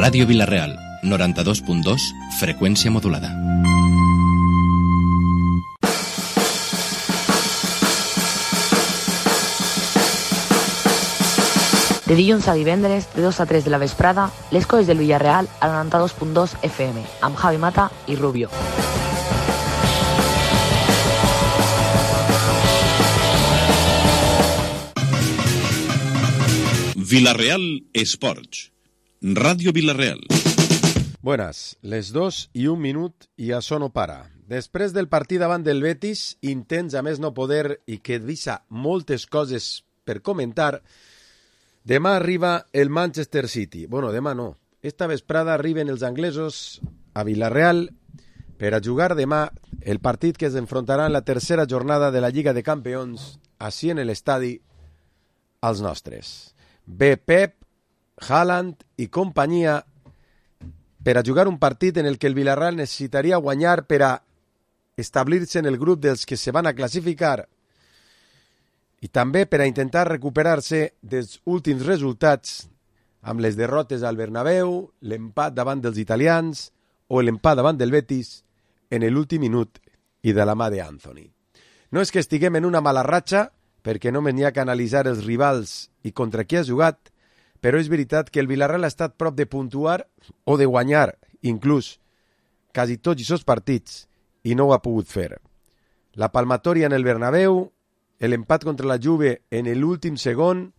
Ràdio Vila-real, 92.2, freqüència modulada. De dilluns a divendres, de 2 a 3 de la vesprada, les coses del Villarreal a 92.2 FM, amb Javi Mata i Rubio. Villarreal Esports. Ràdio Vila-real. Buenas, les 2:01 i això no para. Després del partit davant del Betis, intents a més no poder i que deixa moltes coses per comentar, demà arriba el Manchester City. Bueno, demà no. Esta vesprada arriben els anglesos a Villarreal per a jugar demà el partit que es enfrontarà en la tercera jornada de la Lliga de Campions, així en l'estadi als nostres. Ve Pep, Haaland i companyia per a jugar un partit en el que el Villarreal necessitaria guanyar per a establir-se en el grup dels que se van a classificar i també per a intentar recuperar-se dels últims resultats amb les derrotes al Bernabéu, l'empat davant dels italians o l'empat davant del Betis en l'últim minut i de la mà d'Anthony. No és que estiguem en una mala ratxa, perquè només n'hi ha que analitzar els rivals i contra qui ha jugat, però és veritat que el Villarreal ha estat prop de puntuar o de guanyar, inclús, quasi tots aquests partits, i no ho ha pogut fer. La palmatòria en el Bernabéu, l'empat contra la Juve en l'últim segon,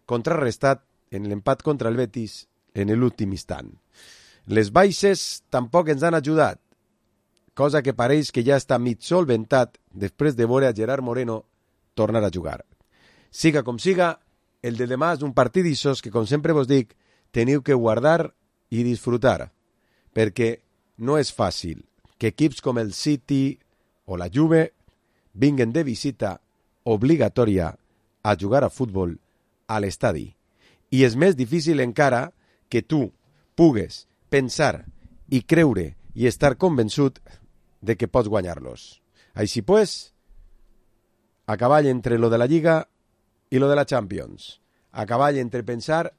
contrarrestat en l'empat contra el Betis en l'últim instant. Les baixes tampoc ens han ajudat, cosa que pareix que ja està mig solventat després de veure a Gerard Moreno tornar a jugar. Siga com siga, el de demà és un partit d'aixòs que, com sempre vos dic, teniu que guardar i disfrutar, perquè no és fàcil que equips com el City o la Juve vinguen de visita obligatòria a jugar a futbol a l'estadi. I és més difícil encara que tu pugues pensar i creure i estar convençut de que pots guanyar-los. Així pues, a cavall entre lo de la Lliga i lo de la Champions. A cavall entre pensar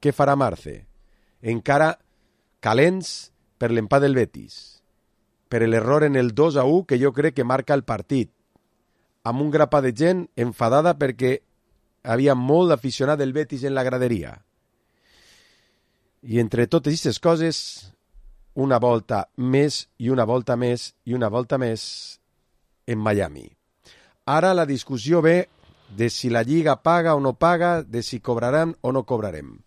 què farà Marce. Encara calents per l'empat del Betis, per l'error en el 2-1 que jo crec que marca el partit, amb un grapà de gent enfadada perquè havia molt aficionat del Betis en la graderia. I entre totes aquestes coses, una volta més i una volta més i una volta més en Miami. Ara la discussió ve de si la Lliga paga o no paga, de si cobrarem o no cobrarem.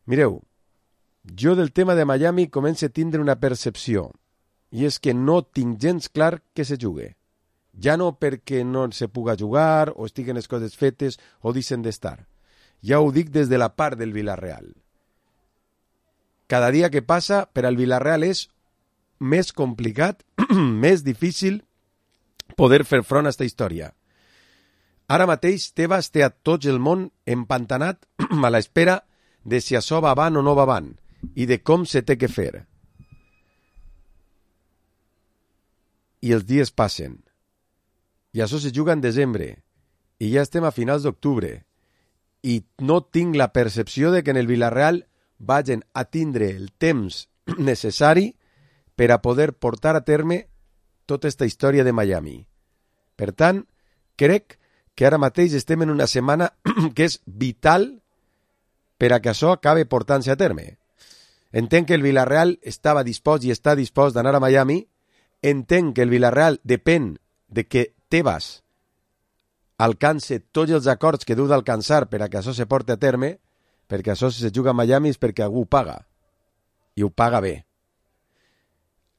Mireu, jo del tema de Miami començo a tindre una percepció, i és que no tinc gens clar que se jugue. Ja no perquè no se puga jugar, o estiguen les coses fetes, o deixen d'estar. Ja ho dic des de la part del Villarreal. Cada dia que passa, per al Villarreal és més complicat, més difícil poder fer front a aquesta història. Ara mateix Tebas té a tot el món empantanat a l'espera de si això va avant o no va avant i de com se té que fer. I els dies passen. I això se juga en desembre. I ja estem a finals d'octubre. I no tinc la percepció de que en el Villarreal vagin a tindre el temps necessari per a poder portar a terme tota aquesta història de Miami. Per tant, crec que ara mateix estem en una setmana que és vital per a que això acabe portant-se a terme. Entenc que el Villarreal estava dispost i està dispost d'anar a Miami. Entenc que el Villarreal depèn de que Tebas alcance tots els acords que deu d'alcançar per a que això se porti a terme, perquè això si se juga a Miami és perquè algú ho paga. I ho paga bé.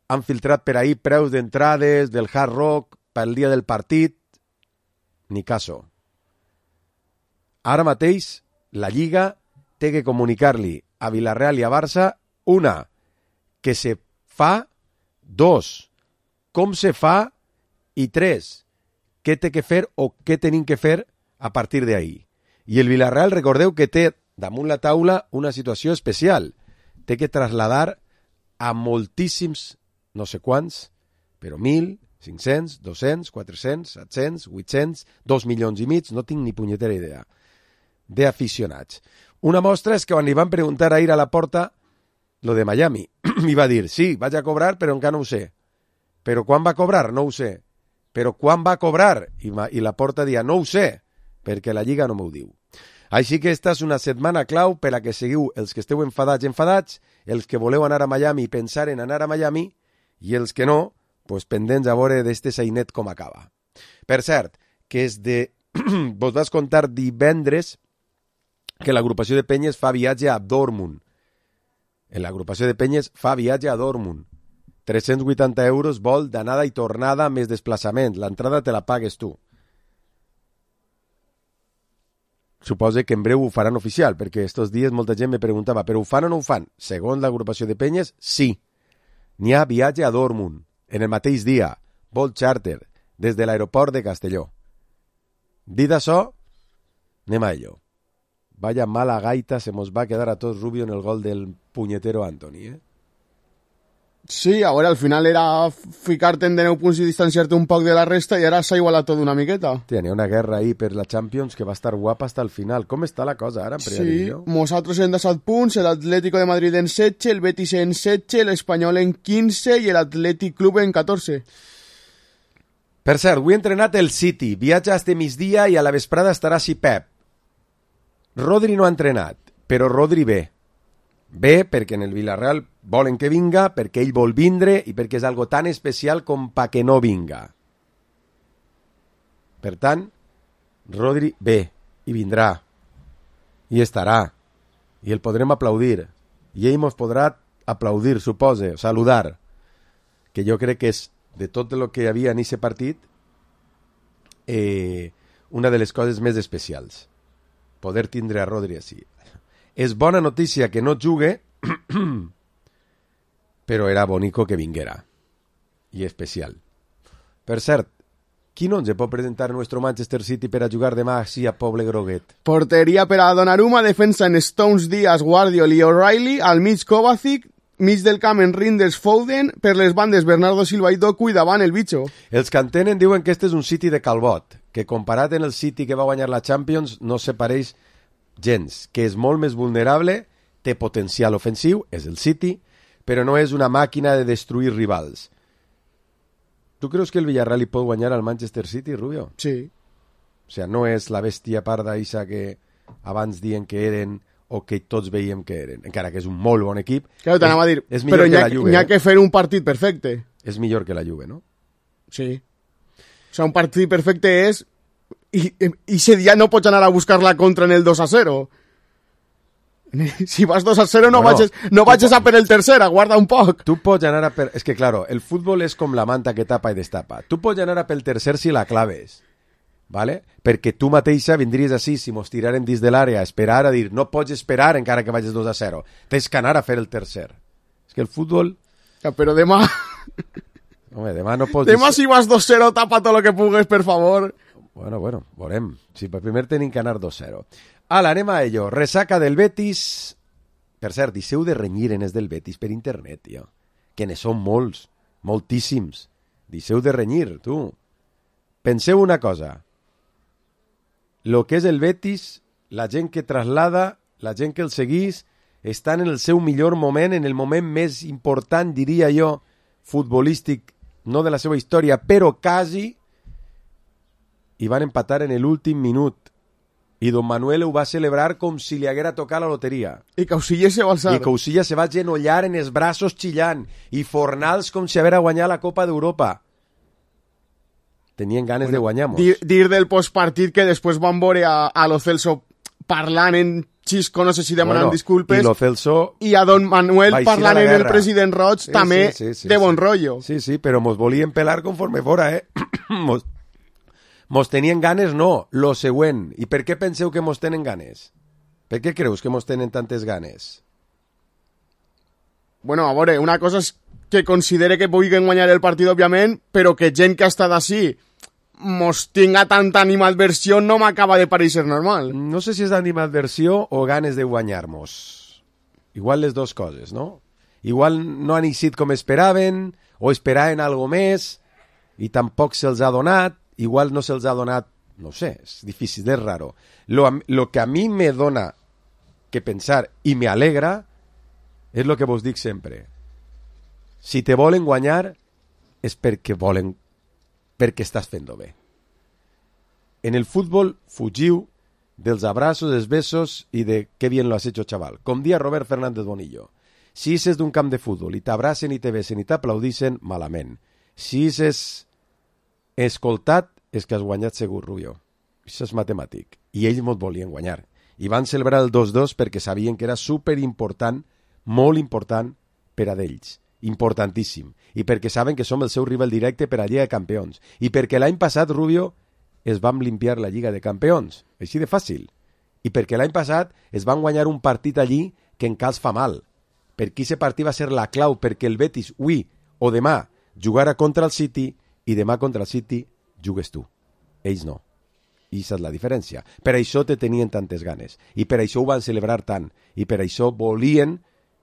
Han filtrat per ahir preus d'entrades del Hard Rock pel dia del partit. Ni caso. Ara mateix, la Lliga té que comunicar-li a Villarreal i a Barça, una, que se fa, dos, com se fa, i tres, què té que fer o què tenim que fer a partir d'ahir. I el Villarreal, recordeu que té damunt la taula una situació especial. Té que traslladar a moltíssims, no sé quants, però 1.000, 500, 200, 400, 700, 800, 2 milions i mig, no tinc ni punyetera idea, d'aficionats. Una mostra és que quan li van preguntar ahir a la porta lo de Miami. I va dir, sí, vaig a cobrar, però encara no ho sé. Però quan va cobrar? No ho sé. Però quan va cobrar? I la Porta dia, no ho sé, perquè la Lliga no m'ho diu. Així que esta és una setmana clau per a que seguiu els que esteu enfadats, els que voleu anar a Miami i pensar en anar a Miami, i els que no, pues pendents a veure d'este sainet com acaba. Per cert, que és de... vos vas contar divendres que l'agrupació de penyes fa viatge a Dortmund. En l'agrupació de penyes fa viatge a Dortmund. 380 euros vol d'anada i tornada més desplaçament. L'entrada te la pagues tu. Suposo que en breu ho faran oficial, perquè estos dies molta gent me preguntava, però ho fan o no ho fan? Segons l'agrupació de penyes, sí. N'hi ha viatge a Dortmund, en el mateix dia, vol charter, des de l'aeroport de Castelló. Dit això, anem a ello. Vaya mala gaita se mos va a quedar a todos Rubio en el gol del puñetero Anthony, ¿eh? Sí, ahora al final era ficarte en 10 punts i distanciar-te un poc de la resta i ara s'ha igualat tot una miqueta. Tiene una guerra ahí per la Champions que va estar guapa hasta el final. Com està la cosa ara? Sí, nosaltres en 17 punts, el Atlético de Madrid en 16, el Betis en 16, l'Espanyol en 15 i l'Atlètic Club en 14. Per cert, avui he entrenat el City. Viatja este migdia i a la vesprada estarà si Pep. Rodri no ha entrenat, però Rodri ve. Ve perquè en el Villarreal volen que vinga, perquè ell vol vindre i perquè és algo tan especial com pa que no vinga. Per tant, Rodri ve i vindrà i estarà i el podrem aplaudir i ell mos podrà aplaudir, supose, saludar, que jo crec que és de tot el que hi havia en aquest partit una de les coses més especials, poder tindre a Rodri així. És bona notícia que no jugue, però era bonico que vinguera. I especial. Per cert, qui no ens pot presentar nuestro Manchester City per a jugar demà així a Poble Groguet? Porteria per a Donnarumma, defensa en Stones, Díaz, Guardiol i O'Reilly, al mig Kovacic, mig del camp en Reinders, Foden, per les bandes Bernardo Silva i Doku i davant el Bicho. Els que entenen diuen que este és un City de Calbot, que comparat en el City que va guanyar la Champions no se pareix gens, que és molt més vulnerable, té potencial ofensiu, és el City, però no és una màquina de destruir rivals. Tu creus que el Villarreal hi pot guanyar al Manchester City, Rubio? Sí. O sigui, no és la bèstia parda isa que abans dient que eren o que tots veiem que eren, encara que és un molt bon equip. Claro, t'anava a dir, és millor que la Juve. N'hi ha que fer un partit perfecte. És millor que la Juve, no? Sí. O sea, un partit perfecte és i ese dia no pots anar a buscar la contra en el 2-0. Si vas 2-0 no vagis a per el tercer, aguarda un poc. Tu pots anar a per... És que, claro, el futbol és com la manta que tapa i destapa. Tu pots anar a pel tercer si la claves, ¿vale? Perquè tu mateixa vindries així, si mos tiraren dins de l'àrea, a esperar, a dir, no pots esperar encara que vagis 2-0. Tens que anar a fer el tercer. És que el futbol... Ja, però demà... Home, demà no pots... Demà si vas 2-0, tapa tot el que pugues, per favor. Bueno, veurem. Si per primer tenim que anar 2-0. Ala, anem a ello. Resaca del Betis. Per cert, deixeu de renyir en els del Betis per internet, tio. Que ne són molts, moltíssims. Deixeu de renyir, tu. Penseu una cosa. Lo que és el Betis, la gent que traslada, la gent que el seguís, estan en el seu millor moment, en el moment més important, diria jo, futbolístic, no de la seva història, però quasi, i van empatar en l'últim minut. I Don Manuel ho va celebrar com si li haguera tocat la loteria. I Causilla se va alçar. I Causilla se va genollar en els braços xillant. I Fornals com si haguera guanyat la Copa d'Europa. Tenien ganes de guanyar-nos. Dir del postpartit que després van veure a Lo Celso parlant en xisco, no sé si demanant disculpes. I Lo Celso... I a Don Manuel parlant en el president Roig, sí, també sí, de bon rotllo. Sí, però mos volien pelar conforme fora, eh? Mos tenien ganes, no, lo següent. I per què penseu que mos tenen ganes? Per què creus que mos tenen tantes ganes? Bueno, a veure, una cosa és que considere que puguin guanyar el partit, òbviament, però que gent que ha estat així mos tinga tanta animadversió no m'acaba de pareixer normal. No sé si és animadversió o ganes de guanyar-nos. Igual les dues coses, no? Igual no han eixit com esperaven, o esperaven algo més, i tampoc se'ls ha donat. Igual no se'ls ha donat, no sé, és difícil, és raro. Lo que a mi me dona que pensar i me alegra És el que vos dic sempre. Si te volen guanyar és perquè estàs fent-ho bé. En el futbol fugiu dels abraços, dels besos i de qué bien lo has hecho, chaval. Com dia Robert Fernández Bonillo. Si és d'un camp de futbol i t'abracen i te besen i t'aplaudixen, malament. Si és escoltat, és que has guanyat segur, Rubio. Això és matemàtic. I ells mos volien guanyar. I van celebrar el 2-2 perquè sabien que era superimportant, molt important per a d'ells. Importantíssim. I perquè saben que som el seu rival directe per a Lliga de Campions. I perquè l'any passat, Rubio, es van limpiar la Lliga de Campions. Així de fàcil. I perquè l'any passat es van guanyar un partit allí que en cas fa mal. Perquè aquest partit va ser la clau perquè el Betis avui o demà jugara contra el City i demà contra el City jugues tu. Ells no. I aquesta és la diferència. Per això te tenien tantes ganes. I per això ho van celebrar tant. I per això volien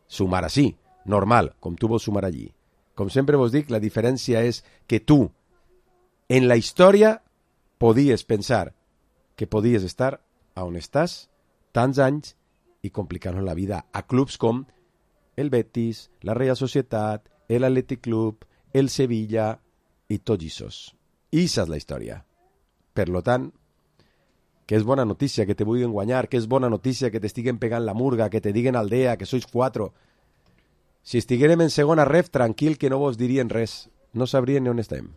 sumar així. Normal, com tu vols sumar allí. Com sempre vos dic, la diferència és que tu, en la història, podies pensar que podies estar on estàs tants anys i complicant la vida a clubs com el Betis, la Real Societat, el Athletic Club, el Sevilla i tots aquests. I aquesta és la història. Per lo tant, que és bona notícia que te vulguin guanyar, que és bona notícia que t'estiguen pegant la murga, que te diguen aldea, que sois 4. Si estiguérem en segona ref, tranquil que no vos dirien res. No sabrien ni on estem.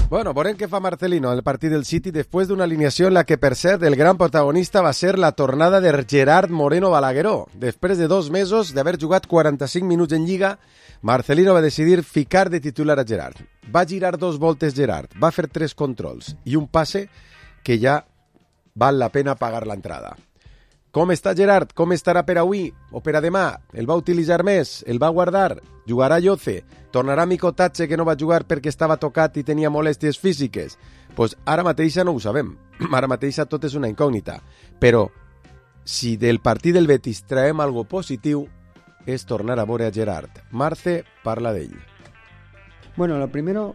Bueno, veurem què fa Marcelino en el partit del City després d'una alineació en la que, per cert, el gran protagonista va ser la tornada de Gerard Moreno Balagueró. Després de 2 mesos d'haver jugat 45 minuts en Lliga, Marcelino va decidir ficar de titular a Gerard. Va girar 2 voltes Gerard, va fer 3 controls i un passe que ja val la pena pagar l'entrada. Com està Gerard? Com estarà per avui o per a demà? El va utilitzar més? El va guardar? Jugarà Lloce? Tornarà Micotatge, que no va jugar perquè estava tocat i tenia molèsties físiques? Pues ara mateixa no ho sabem. Ara mateixa tot és una incògnita. Però si del partit del Betis traem algo positiu és tornar a veure a Gerard. Marce parla d'ell. Bueno, lo primero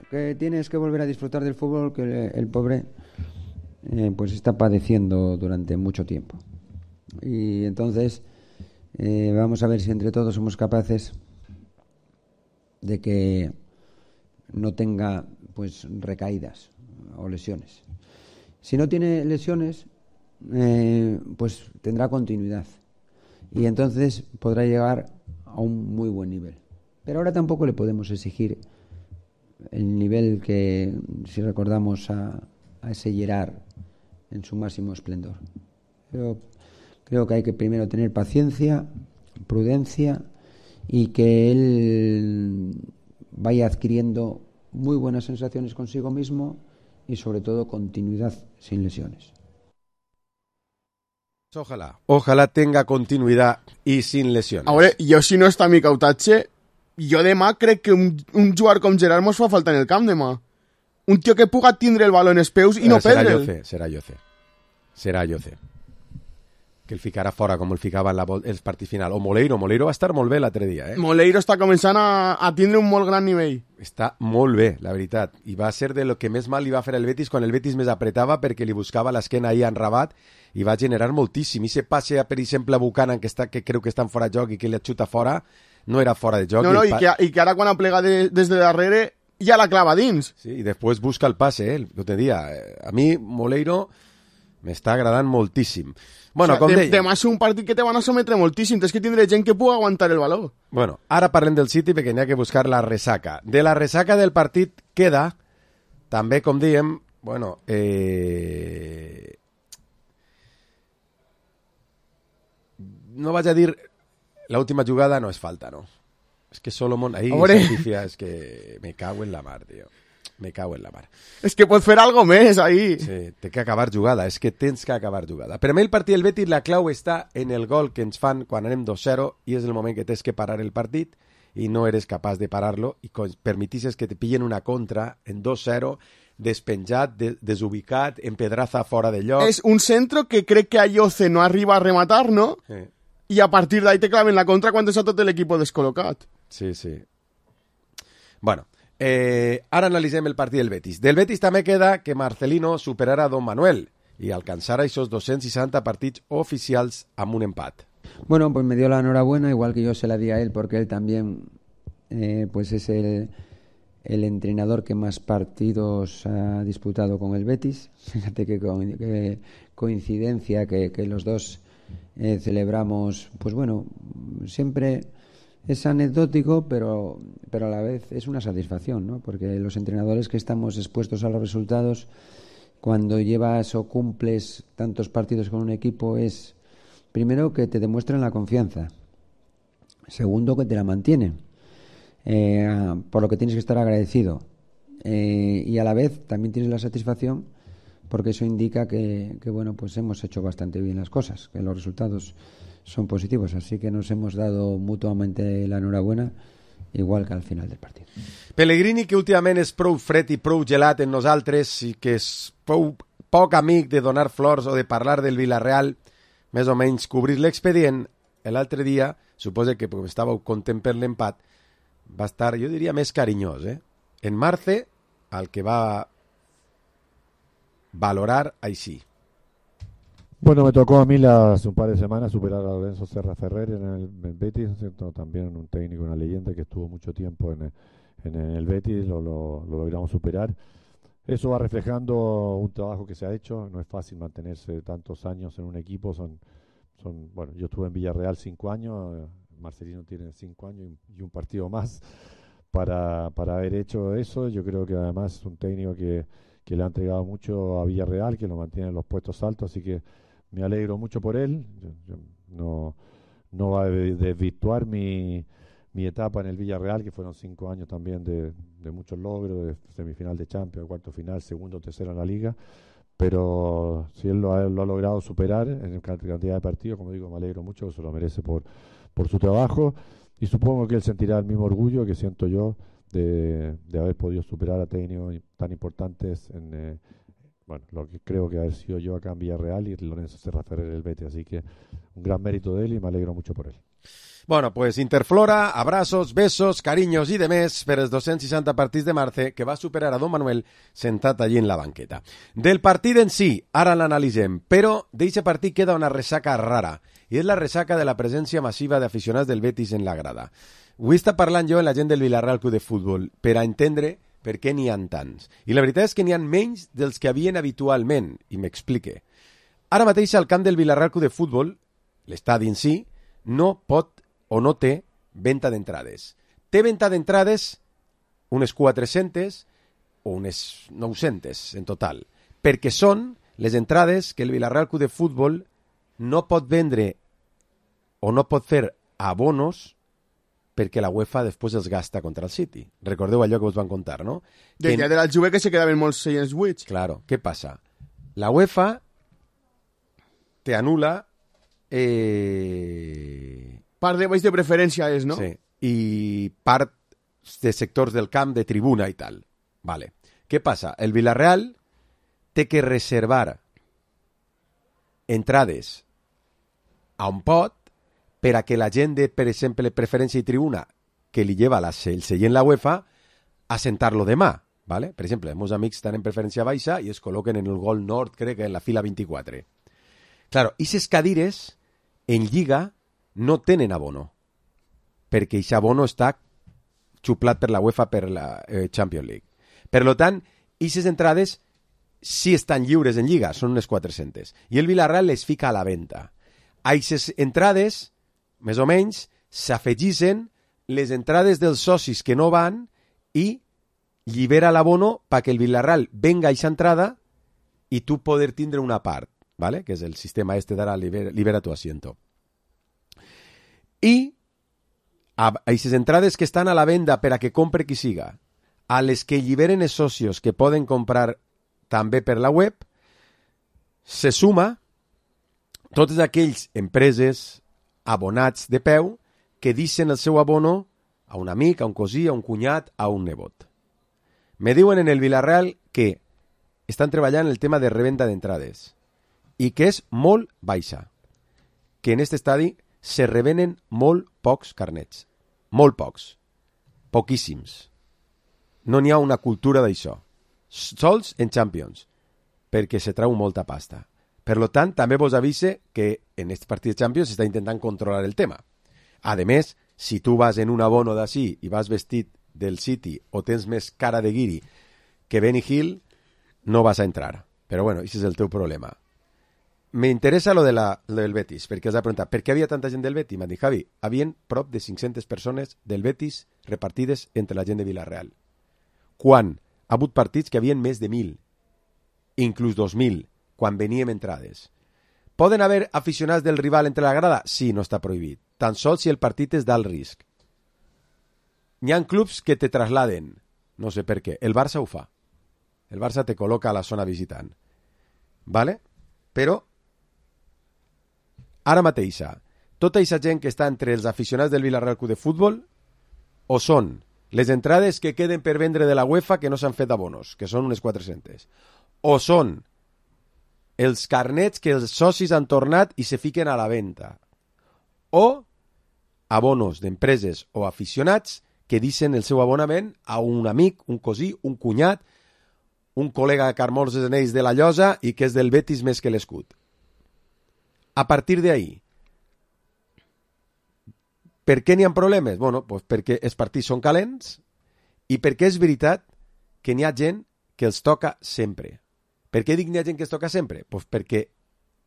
que tiene es que volver a disfrutar del fútbol que el pobre pues está padeciendo durante mucho tiempo. Y entonces vamos a ver si entre todos somos capaces de que no tenga pues recaídas o lesiones. Si no tiene lesiones, pues tendrá continuidad y entonces podrá llegar a un muy buen nivel. Pero ahora tampoco le podemos exigir el nivel que, si recordamos a ese Gerard en su máximo esplendor. Pero creo que hay que primero tener paciencia, prudencia y que él vaya adquiriendo muy buenas sensaciones consigo mismo y sobre todo continuidad sin lesiones. Ojalá tenga continuidad y sin lesiones. A veure, jo si no està Micotatge, jo demà crec que un jugador com Gerard mos fa falta en el camp demà. Un tio que puga tindre el baló en els peus i no perdre'l. Serà Lloce. que el ficarà fora com el ficava en el partit final. O Moleiro va estar molt bé l'altre dia, Moleiro està començant a tindre un molt gran nivell. Està molt bé, la veritat, i va ser de lo que més mal li va fer el Betis quan el Betis més apretava perquè li buscava l'esquena ahir en Rabat i va generar moltíssim. I se passe, per exemple, a Buchanan, que creu que està en fora de joc i que li xuta fora, no era fora de joc. No, i que ara quan aplega des de darrere ja la clava dins. Sí, i després busca el passe, el te dia. A mi, Moleiro, m'està agradant moltíssim. Bueno, com deia... Demà és un partit que te van a sometre moltíssim, tens que tindre gent que pugui aguantar el valor. Bueno, ara parlem del City perquè n'hi ha que buscar la ressaca. De la ressaca del partit queda, també, com diem, bueno, no vaig a dir l'última jugada no és falta, no? És que Solomon ahí certifica, és que me cago en la mar, tio. Me cago en la mar. És que pot fer algo més ahí. Sí, té que acabar jugada, és que tens que acabar jugada. Per a mi el partit del Betis, la clau està en el gol que ens fan quan anem 2-0 i és el moment que tens que parar el partit i no eres capaç de parar-lo i permetisses que te pillen una contra en 2-0, despenjat, desubicat, en pedraza fora de lloc. És un centro que crec que Ayoce no arriba a rematar, no? Sí. I a partir d'ahí te claven la contra quan està tot l'equip descol·locat. Sí, sí. Bueno, ara analitzem el partit del Betis. Del Betis també queda que Marcelino superara a Don Manuel y alcanzara esos 260 partits oficials amb un empat. Bueno, pues me dio la enhorabuena, igual que yo se la di a él, porque él también pues es el entrenador que más partidos ha disputado con el Betis. Fíjate que coincidencia que los dos celebramos, pues bueno, siempre es anecdótico, pero a la vez es una satisfacción, ¿no? Porque los entrenadores que estamos expuestos a los resultados, cuando llevas o cumples tantos partidos con un equipo, es primero que te demuestran la confianza, segundo que te la mantienen, por lo que tienes que estar agradecido, y a la vez también tienes la satisfacción porque eso indica que bueno, pues hemos hecho bastante bien las cosas, que los resultados son positivos, así que nos hemos dado mutuamente la enhorabuena, igual que al final del partit. Pellegrini, que últimament és prou fred i prou gelat en nosaltres i que és poc amic de donar flors o de parlar del Villarreal, més o menys cobrir l'expedient, l'altre dia, suposo que perquè estàveu content per l'empat, va estar, jo diria, més carinyós. En Marce, al que va valorar així. Bueno, me tocó a mí hace un par de semanas superar a Lorenzo Serra Ferrer en el Betis, ¿cierto? También un técnico, una leyenda que estuvo mucho tiempo en el Betis, lo logramos superar. Eso va reflejando un trabajo que se ha hecho, no es fácil mantenerse tantos años en un equipo, bueno, yo estuve en Villarreal 5 años, Marcelino tiene 5 años y un partido más para haber hecho eso. Yo creo que además es un técnico que le ha entregado mucho a Villarreal, que lo mantiene en los puestos altos, así que me alegro mucho por él. Yo no va a desvirtuar mi etapa en el Villarreal, que fueron 5 años también de muchos logros, de semifinal de Champions, cuarto final, segundo, tercero en la Liga, pero si él lo ha logrado superar en cantidad de partidos, como digo, me alegro mucho, se lo merece por su trabajo, y supongo que él sentirá el mismo orgullo que siento yo de haber podido superar a técnicos tan importantes en bueno, lo que creo que haber sido yo acá en Villarreal y Lorenzo Serra Ferrer el Betis, así que un gran mérito de él y me alegro mucho por él. Bueno, pues Interflora, abrazos, besos, carinyos i de més per els 260 partits de Marce, que va superar a Don Manuel sentat allí en la banqueta. Del partit en si, ara l'analitzem, però d'aquest partit queda una ressaca rara, i és la ressaca de la presència massiva d'aficionats del Betis en la grada. Avui està parlant jo amb la gent del Villarreal Club de Futbol per a entendre per què n'hi ha tants. I la veritat és que n'hi ha menys dels que havien habitualment, i m'explique. Ara mateix al camp del Villarreal Club de Futbol, l'estadi en si, no pot o no té venda d'entrades. Té venda d'entrades unes 400 o unes 900 en total, perquè són les entrades que el Villarreal Club de Futbol no pot vendre o no pot fer abonos perquè la UEFA després els gasta contra el City. Recordeu allò que us van contar, no? Del dia de la Juve que se quedaven molts seients buits. Claro, què passa? La UEFA te anula part de baix de preferència és, no? Sí, i part de sectors del camp, de tribuna i tal. Vale. Què passa? El Villarreal té que reservar entrades a on pot per a que la gent de, per exemple, preferència i tribuna que li lleva el seient la UEFA a sentar-lo demà. ¿Vale? Per exemple, els meus amics estan en preferència baixa i es col·loquen en el gol nord, crec que en la fila 24. Claro, aquestes cadires en Lliga no tenen abono, perquè aquest abono està xuplat per la UEFA per la Champions League. Per tant, aquestes entrades sí estan lliures en Lliga, són unes 400. I el Villarreal les fica a la venda. A aquestes entrades, més o menys, s'afegissen les entrades dels socis que no van i llibera l'abono perquè el Villarreal venga a aquesta entrada i tu poder tindre una part, ¿vale? Que és el sistema este d'ara libera tu asiento. I a aquestes entrades que estan a la venda per a que compre qui siga, a les que lliberen els socios que poden comprar també per la web, se suma totes aquells empreses, abonats de peu, que deixen el seu abono a un amic, a un cosí, a un cunyat, a un nebot. Me diuen en el Villarreal que estan treballant el tema de revenda d'entrades i que és molt baixa, que en aquest estadi se revenen molt pocs carnets, molt pocs, poquíssims. No n'hi ha una cultura d'això, sols en Champions, perquè se trau molta pasta. Per tant, també vos avise que en aquest partit de Champions s'està intentant controlar el tema. A més, si tu vas en un abono d'ací i vas vestit del City o tens més cara de guiri que Benny Hill, no vas a entrar. Però bueno, això és el teu problema. Me interessa lo del Betis, perquè has de preguntar, per què havia tanta gent del Betis? M'han dit, Javi, havien prop de 500 persones del Betis repartides entre la gent de Villarreal. Quan ha hagut partits que havien més de 1.000, inclús 2.000, quan veníem entrades. Poden haver aficionats del rival entre la grada? Sí, no està prohibit. Tan sols si el partit és d'alt risc. N'hi ha clubs que te trasladen, no sé per què. El Barça ho fa. El Barça te col·loca a la zona visitant. ¿Vale? Però, ara mateixa, tota aquesta gent que està entre els aficionats del Villarreal Club de Futbol o són les entrades que queden per vendre de la UEFA que no s'han fet abonos, que són unes 400, o són els carnets que els socis han tornat i se fiquen a la venda, o abonos d'empreses o aficionats que deixen el seu abonament a un amic, un cosí, un cunyat, un col·lega de Carmolls Anells de la Llosa i que és del Betis més que l'escut. A partir d'ahí, per què n'hi ha problemes? Bueno, pues perquè els partits són calents i perquè és veritat que n'hi ha gent que els toca sempre. Per què dic n'hi ha gent que els toca sempre? Pues perquè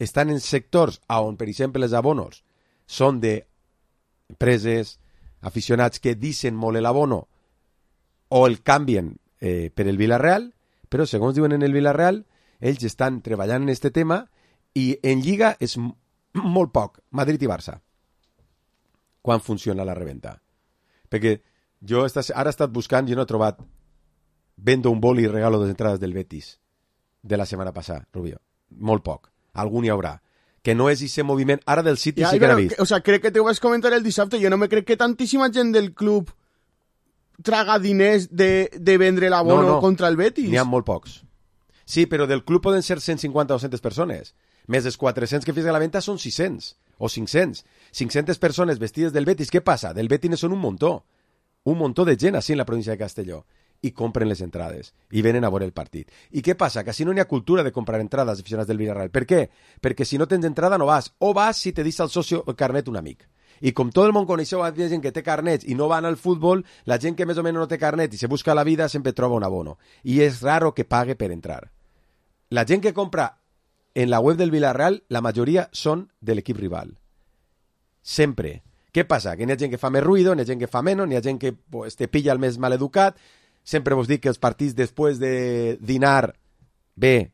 estan en sectors on, per exemple, els abonos són d'empreses, aficionats que deixen molt l'abono o el canvien per el Villarreal, però segons diuen en el Villarreal, ells estan treballant en aquest tema i en Lliga és molt poc, Madrid i Barça, quan funciona la reventa. Perquè jo ara he estat buscant i no he trobat vendo un boli i regalo de entrades del Betis de la setmana passada, Rubio. Molt poc. Algun hi haurà. Que no és aquest moviment. Ara del City sí que l'ha vist. O sea, crec que te ho vas comentar el dissabte. Jo no me crec que tantíssima gent del club traga diners de vendre l'abono contra el Betis. N'hi ha molt pocs. Sí, però del club poden ser 150 o 200 persones. Més dels 400 que fes a la venda són 600 o 500. 500 persones vestides del Betis. Què passa? Del Betis són un muntó. Un muntó de gent així en la província de Castelló. I compren les entrades i venen a veure el partit. I què passa? Que si no n'hi ha cultura de comprar entrades aficionats del Villarreal. Per què? Perquè si no tens entrada no vas. O vas si te deixa el socio el carnet un amic. I com tot el món coneixeu a gent que té carnets i no van al futbol, la gent que més o menys no té carnet i se busca la vida sempre troba un abono. I és raro que pague per entrar. La gent que compra en la web del Villarreal, la majoria són de l'equip rival. Sempre. Què passa? Que n'hi ha gent que fa més ruïdo, n'hi ha gent que fa menys, n'hi ha gent que pues, te pilla el més maleducat. Sempre vos dic que els partits després de dinar bé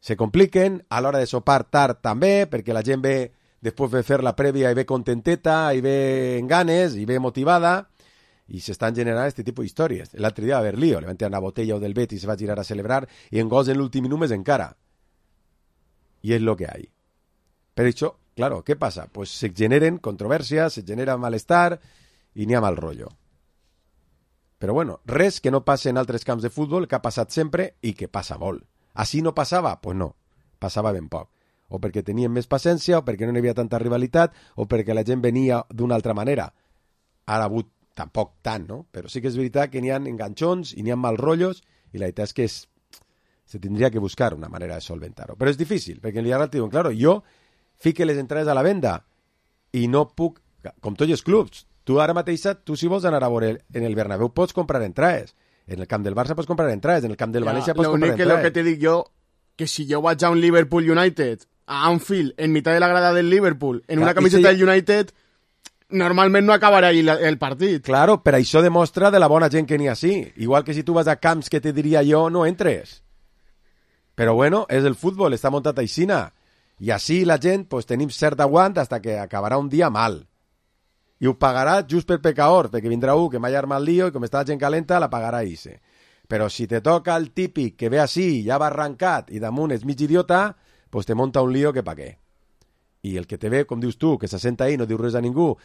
se compliquen, a l'hora de sopar tard també, perquè la gent ve després de fer la prèvia i ve contenteta, i ve en ganes, i ve motivada, i s'estan generant aquest tipus d'històries. L'altre dia va haver lío, le van tirar una botella del Betis i se va girar a celebrar, i en gols en l'últim minut més encara. I és lo que hay. Per això, claro, què passa? Pues se generen controvèrsies, se genera malestar, i n'hi ha mal rotllo. Però bueno, res que no passe en altres camps de futbol, que ha passat sempre i que passa molt. Així no passava? Pues no, passava ben poc. o perquè tenien més paciència, o perquè no hi havia tanta rivalitat, o perquè la gent venia d'una altra manera. Ara ha hagut tampoc tant, no? Però sí que és veritat que n'hi ha enganxons i n'hi ha mal rotllos, i la veritat és que se tindria que buscar una manera de solventar-ho. Però és difícil, perquè en Villarreal diuen, claro, jo fique les entrades a la venda i no puc, com tots els clubs, tu ara mateix, tu si vols anar a veure en el Bernabéu pots comprar entrades, en el camp del Barça pots comprar entrades, en el camp del València pots comprar entrades. Lo que te dic jo, que si jo vaig a un Liverpool United, a Anfield, en mitad de la grada del Liverpool, en una camiseta del United, normalment no acabarà ahí el partit. Claro, però això demostra de la bona gent que n'hi ha sí. Igual que si tu vas a camps que te diria jo, no entres. Però bueno, és el futbol, està muntat aixina. I així la gent pues, tenim cert aguant fins que acabarà un dia mal. I ho pagarà just per pecador, perquè vindrà un que m'ha armat el lío i com està la gent calenta, la pagarà ise. Però si te toca el típic que ve així, ja va arrencat i damunt és mig idiota, pues te monta un lío que pa què. I el que te ve, com dius tu, que se senta ahí, no diu res a ningú,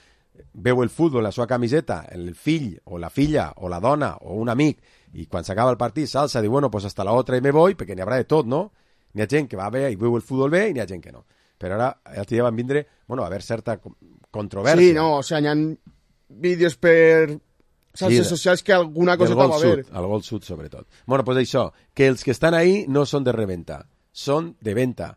veu el futbol, la seva camiseta, el fill o la filla o la dona o un amic, i quan s'acaba el partit s'alça i diu, bueno, pues hasta la otra i me voy, perquè n'hi haurà de tot, no? N'hi ha gent que va bé i veu el futbol bé i n'hi ha gent que no. Però ara, el dia van vindre, bueno, a haver certa controvèrsia. Sí, no, o sea, n'hi ha vídeos per xarxes socials que alguna cosa va haver. Al Gol Sud, sobretot. Bueno, pues això, que els que estan ahí no són de reventa, són de venta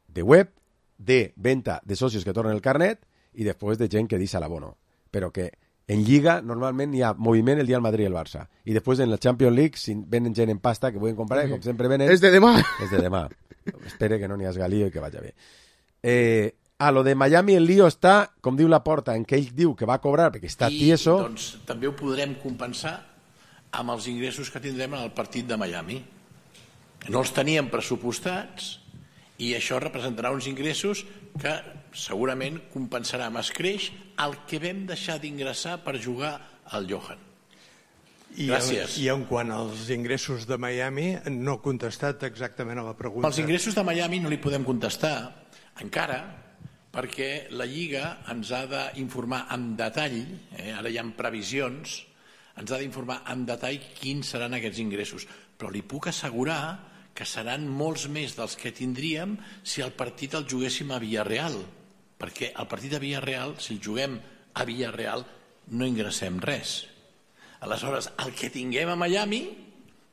de web, de venta de socios que tornen el carnet i després de gent que deixa l'abono. Però que en Lliga normalment hi ha moviment el dia del Madrid i el Barça. I després en la Champions League, si venen gent en pasta que pueden comprar, com sempre venen... És de demà. És de demà. Espere que no n'hi hagi lío i que vagi bé. A lo de Miami el lío està, com diu Laporta, en què ell diu que va cobrar perquè està tieso... I doncs també ho podrem compensar amb els ingressos que tindrem en el partit de Miami. No els teníem pressupostats i això representarà uns ingressos que segurament compensarà amb escreix el que vam deixar d'ingressar per jugar al Johan. Gràcies. I en quant als ingressos de Miami, no ha contestat exactament a la pregunta. Els ingressos de Miami no li podem contestar encara perquè la Lliga ens ha d'informar amb detall, ara hi ha previsions, ens ha d'informar amb detall quins seran aquests ingressos. Però li puc assegurar que seran molts més dels que tindríem si el partit el juguéssim a Villarreal, perquè el partit a Villarreal, si el juguem a Villarreal, no ingressem res. Aleshores, el que tinguem a Miami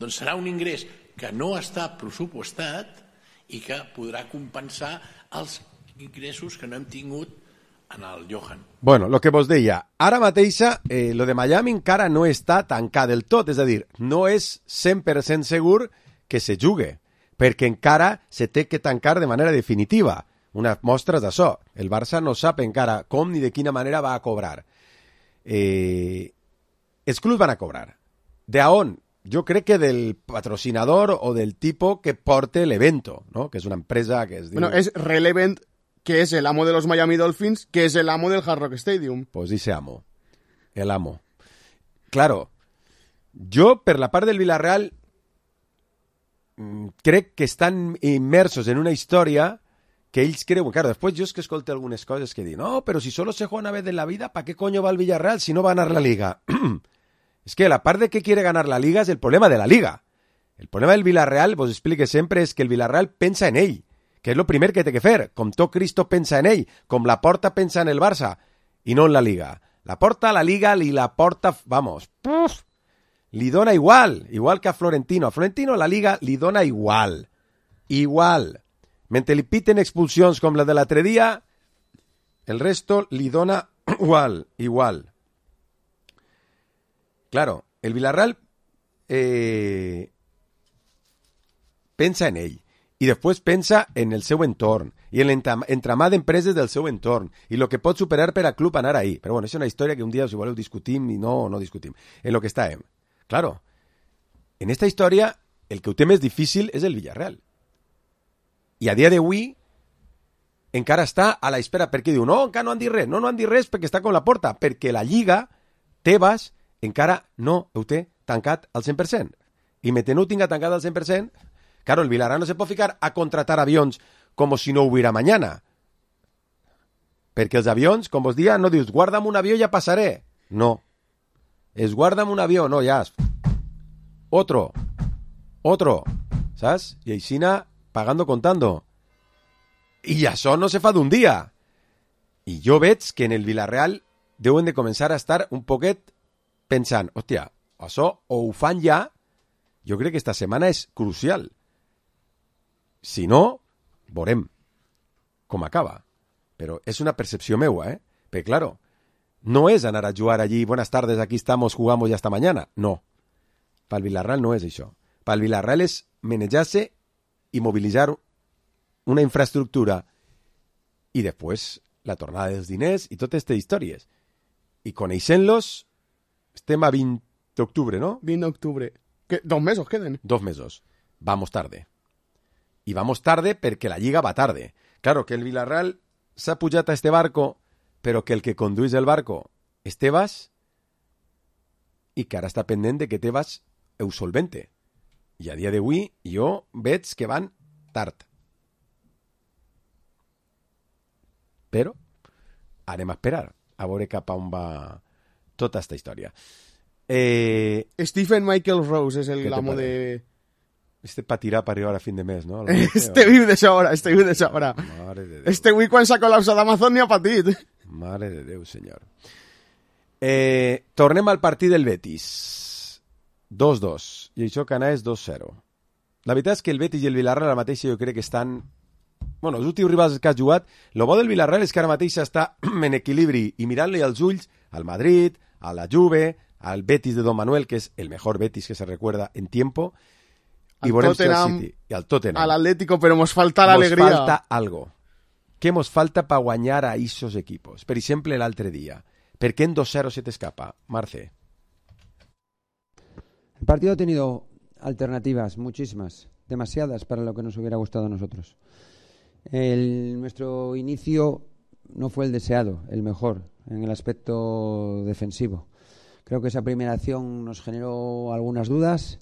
doncs serà un ingrés que no està pressupostat i que podrà compensar els ingressos que no hem tingut en el Johan. Bueno, lo que vos deia, ara mateixa lo de Miami encara no està tancat del tot, és a dir, no és 100% segur que se jugue, perquè encara se té que tancar de manera definitiva. Unes mostres d'això. El Barça no sap encara com ni de quina manera va a cobrar. Els clubs van a cobrar. De on? Jo crec que del patrocinador o del tipo que porte l'evento, ¿no? Que és una empresa que es diu... Bueno, és Relevant, que és el amo de los Miami Dolphins, que és el amo del Hard Rock Stadium. Pues dice amo. El amo. Claro, jo per la part del Villarreal crec que estan immersos en una història que ells creuen. Claro, després jo és que escolto algunes coses que diuen, no, pero si solo se juega una vez en la vida, ¿para qué coño va el Villarreal si no va a ganar la Liga? Es que la part de que quiere ganar la Liga es el problema de la Liga. El problema del Villarreal, vos explique sempre, és que el Villarreal pensa en ell, que és lo primer que té que fer. Com tot Cristo pensa en ell, com la Porta pensa en el Barça, i no en la Liga. La Porta, la Liga, i la Porta, vamos, li dona igual que a Florentino. A Florentino la Liga li dona igual. Igual. Mentre li piten expulsions com la de l'altre dia, el resto li dona igual. Claro, el Villarreal pensa en ell i després pensa en el seu entorn i en l'entramat d'empreses del seu entorn i el que pot superar per a club anar ahí. Però bueno, és una història que un dia, si voleu, discutim i no discutim. En lo que estàvem. Claro, en esta història el que ho té més difícil és el Villarreal. I a dia d'avui encara està a la espera perquè diu, no, encara no han dit res. No han dit res perquè està com la Porta, perquè la Lliga, Tebas, encara no ho té tancat al 100%. I mentre no ho tinga tancat al 100%, claro, el Villarreal no se pot ficar a contratar avions com si no hubiera mañana. Perquè els avions, com vos dia, no dius, guarda'm un avió i ja passaré. No. Es guarda'm un avió, no, ja. Otro. ¿Sabes? Y aixina, pagando, contando. I això no se fa d'un dia. I jo veig que en el Villarreal deuen de començar a estar un poquet pensant, hòstia, això o ho fan ja, jo crec que esta setmana és crucial. Si no, veurem com acaba. Però és una percepció meua, Perquè, claro, no és anar a jugar allí, buenas tardes, aquí estamos, jugamos ya hasta mañana. No. Pel Villarreal no és això. Pel Villarreal és manejar-se i mobilitzar una infraestructura i després la tornada dels diners i totes aquestes històries. I coneixent-los, estem a 20 d'octubre, no? 20 d'octubre. 2 mesos queden. 2 mesos. Vamos tarde. I vamos tarde perquè la Lliga va tarde. Claro, que el Villarreal s'ha pujat a este barco, però que el que condueix el barco és Tebas i que ara està pendent de que Tebas ho solvente. I a dia d'avui jo veig que van tard. Però anem a esperar a veure cap a on va tota aquesta història. Stephen Michael Rose és l'amo de... Este pa tirar per arribar a fin de mes, no? Este viu de sobra. Mare de Déu. Este avui quan s'ha col·lapsat Amazon ni ha patit. Mare de Déu, senyor. Tornem al partit del Betis. 2-2. I això que anà és 2-0. La veritat és que el Betis i el Villarreal ara mateix jo crec que estan... Bueno, els últims rivals que has jugat, el bo del Villarreal és que ara mateix està en equilibri i mirant-li als ulls al Madrid, a la Juve, al Betis de Don Manuel, que és el mejor Betis que se recuerda en tiempo, i veurem si el City i al Tottenham. A l'Atlético, però mos falta l'alegria. Mos falta algo. Què mos falta per guanyar a esos equipos? Per exemple, l'altre dia. ¿Per qué en 2-0 se te escapa, Marce? El partido ha tenido alternativas, muchísimas, demasiadas para lo que nos hubiera gustado a nosotros. Nuestro inicio no fue el deseado, el mejor, en el aspecto defensivo. Creo que esa primera acción nos generó algunas dudas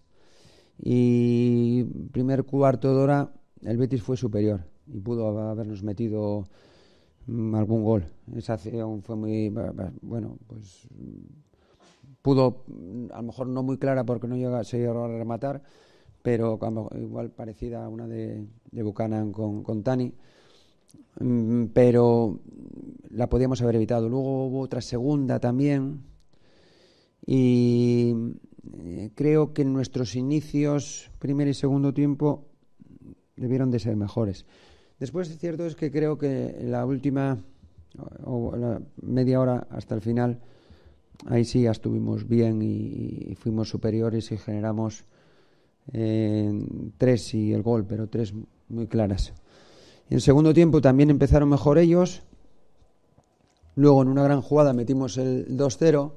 y primer cuarto de hora el Betis fue superior y pudo habernos metido algún gol. Esa acción fue muy, bueno, pues pudo, a lo mejor no muy clara porque no se llegó a rematar, pero igual parecida a una de Buchanan con Tani, pero la podíamos haber evitado. Luego hubo otra segunda también y creo que nuestros inicios, primer y segundo tiempo, debieron de ser mejores. Después, cierto es que creo que la última o la media hora hasta el final, ahí sí ya estuvimos bien y fuimos superiores y generamos 3 y el gol, pero 3 muy claras. En el segundo tiempo también empezaron mejor ellos. Luego en una gran jugada metimos el 2-0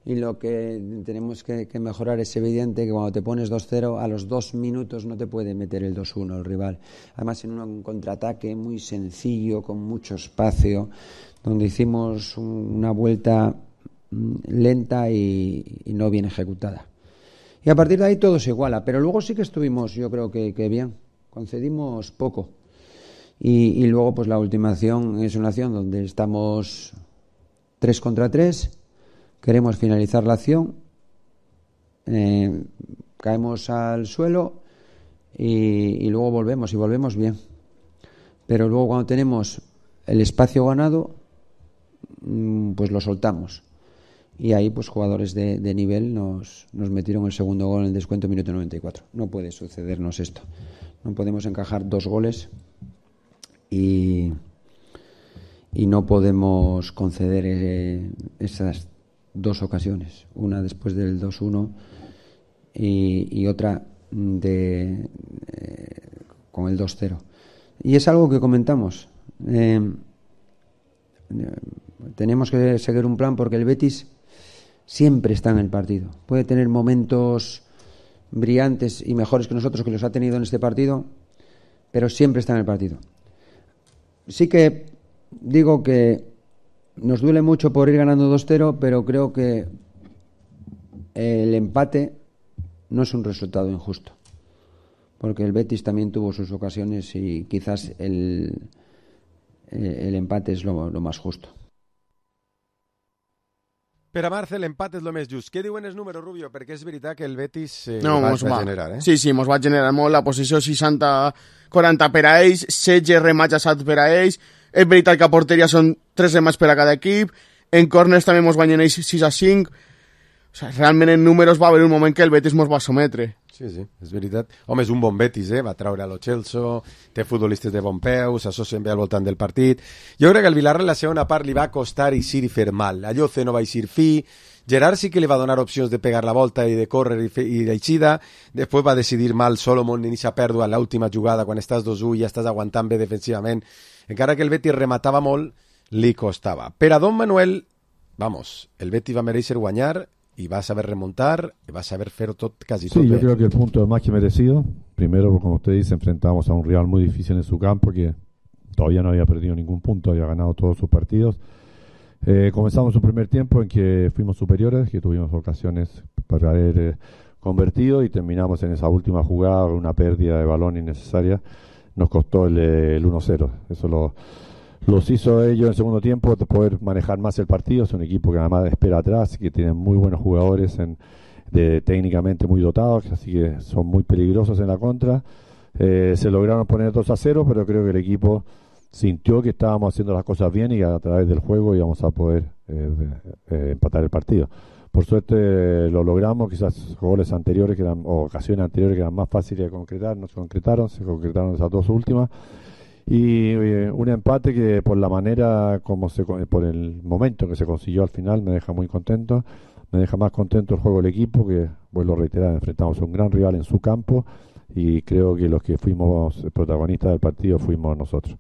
y lo que tenemos que mejorar es evidente que cuando te pones 2-0 a los 2 minutos no te puede meter el 2-1 el rival. Además en un contraataque muy sencillo, con mucho espacio, donde hicimos una vuelta lenta y no bien ejecutada. Y a partir de ahí todo se iguala, pero luego sí que estuvimos, yo creo que bien, concedimos poco. Y luego pues la última acción es una acción donde estamos 3 contra 3, queremos finalizar la acción, caemos al suelo y luego volvemos, y volvemos bien. Pero luego cuando tenemos el espacio ganado, pues lo soltamos. Y ahí pues jugadores de nivel nos metieron el segundo gol en el descuento minuto 94. No puede sucedernos esto. No podemos encajar 2 goles y no podemos conceder esas 2 ocasiones. Una después del 2-1 y otra con el 2-0. Y es algo que comentamos. Tenemos que seguir un plan porque el Betis siempre está en el partido. Puede tener momentos brillantes y mejores que nosotros, que los ha tenido en este partido, pero siempre está en el partido. Sí que digo que nos duele mucho por ir ganando 2-0, pero creo que el empate no es un resultado injusto, porque el Betis también tuvo sus ocasiones y quizás el empate es lo más justo. Per a Marcel, l'empat és el més just. Què diuen els números, Rubio? Perquè és veritat que el Betis va generar, eh? Sí, mos va generar molt. La posició 60-40 per a ells, 16 remats assats per a ells. És veritat que a porteria són 3 remats per a cada equip. En corners també mos guanyen ells 6-5. O sigui, realment en números va haver un moment que el Betis mos va sometre. Sí, és veritat. Home, és un bon Betis, va treure a Lo Celso, té futbolistes de bon peu, s'associen bé al voltant del partit. Jo crec que al Villarreal la segona part li va costar eixir i fer mal. A Lloce no va eixir fi, Gerard sí que li va donar opcions de pegar la volta i de córrer i d'eixida, després va decidir mal Solomon en aquesta pèrdua en l'última jugada, quan estàs 2-1 i ja estàs aguantant bé defensivament. Encara que el Betis rematava molt, li costava. Per a Don Manuel, vamos, el Betis va mereixer guanyar y va a saber remontar, y va a saber hacer casi todo. Sí, yo creo que el punto es más que merecido. Primero, como usted dice, enfrentamos a un rival muy difícil en su campo, que todavía no había perdido ningún punto, había ganado todos sus partidos. Comenzamos un primer tiempo en que fuimos superiores, que tuvimos ocasiones para haber convertido, y terminamos en esa última jugada, una pérdida de balón innecesaria. Nos costó el 1-0. Eso los hizo ellos en el segundo tiempo de poder manejar más el partido. Es un equipo que además espera atrás, que tiene muy buenos jugadores técnicamente muy dotados, así que son muy peligrosos en la contra. Se lograron poner 2-0, pero creo que el equipo sintió que estábamos haciendo las cosas bien y que a través del juego íbamos a poder empatar el partido. Por suerte lo logramos. Quizás goles anteriores o ocasiones anteriores que eran más fáciles de concretar no se concretaron esas dos últimas. Y un empate que por la manera por el momento que se consiguió al final me deja muy contento. Me deja más contento el juego del equipo, que vuelvo a reiterar, enfrentamos a un gran rival en su campo y creo que los que fuimos protagonistas del partido fuimos nosotros.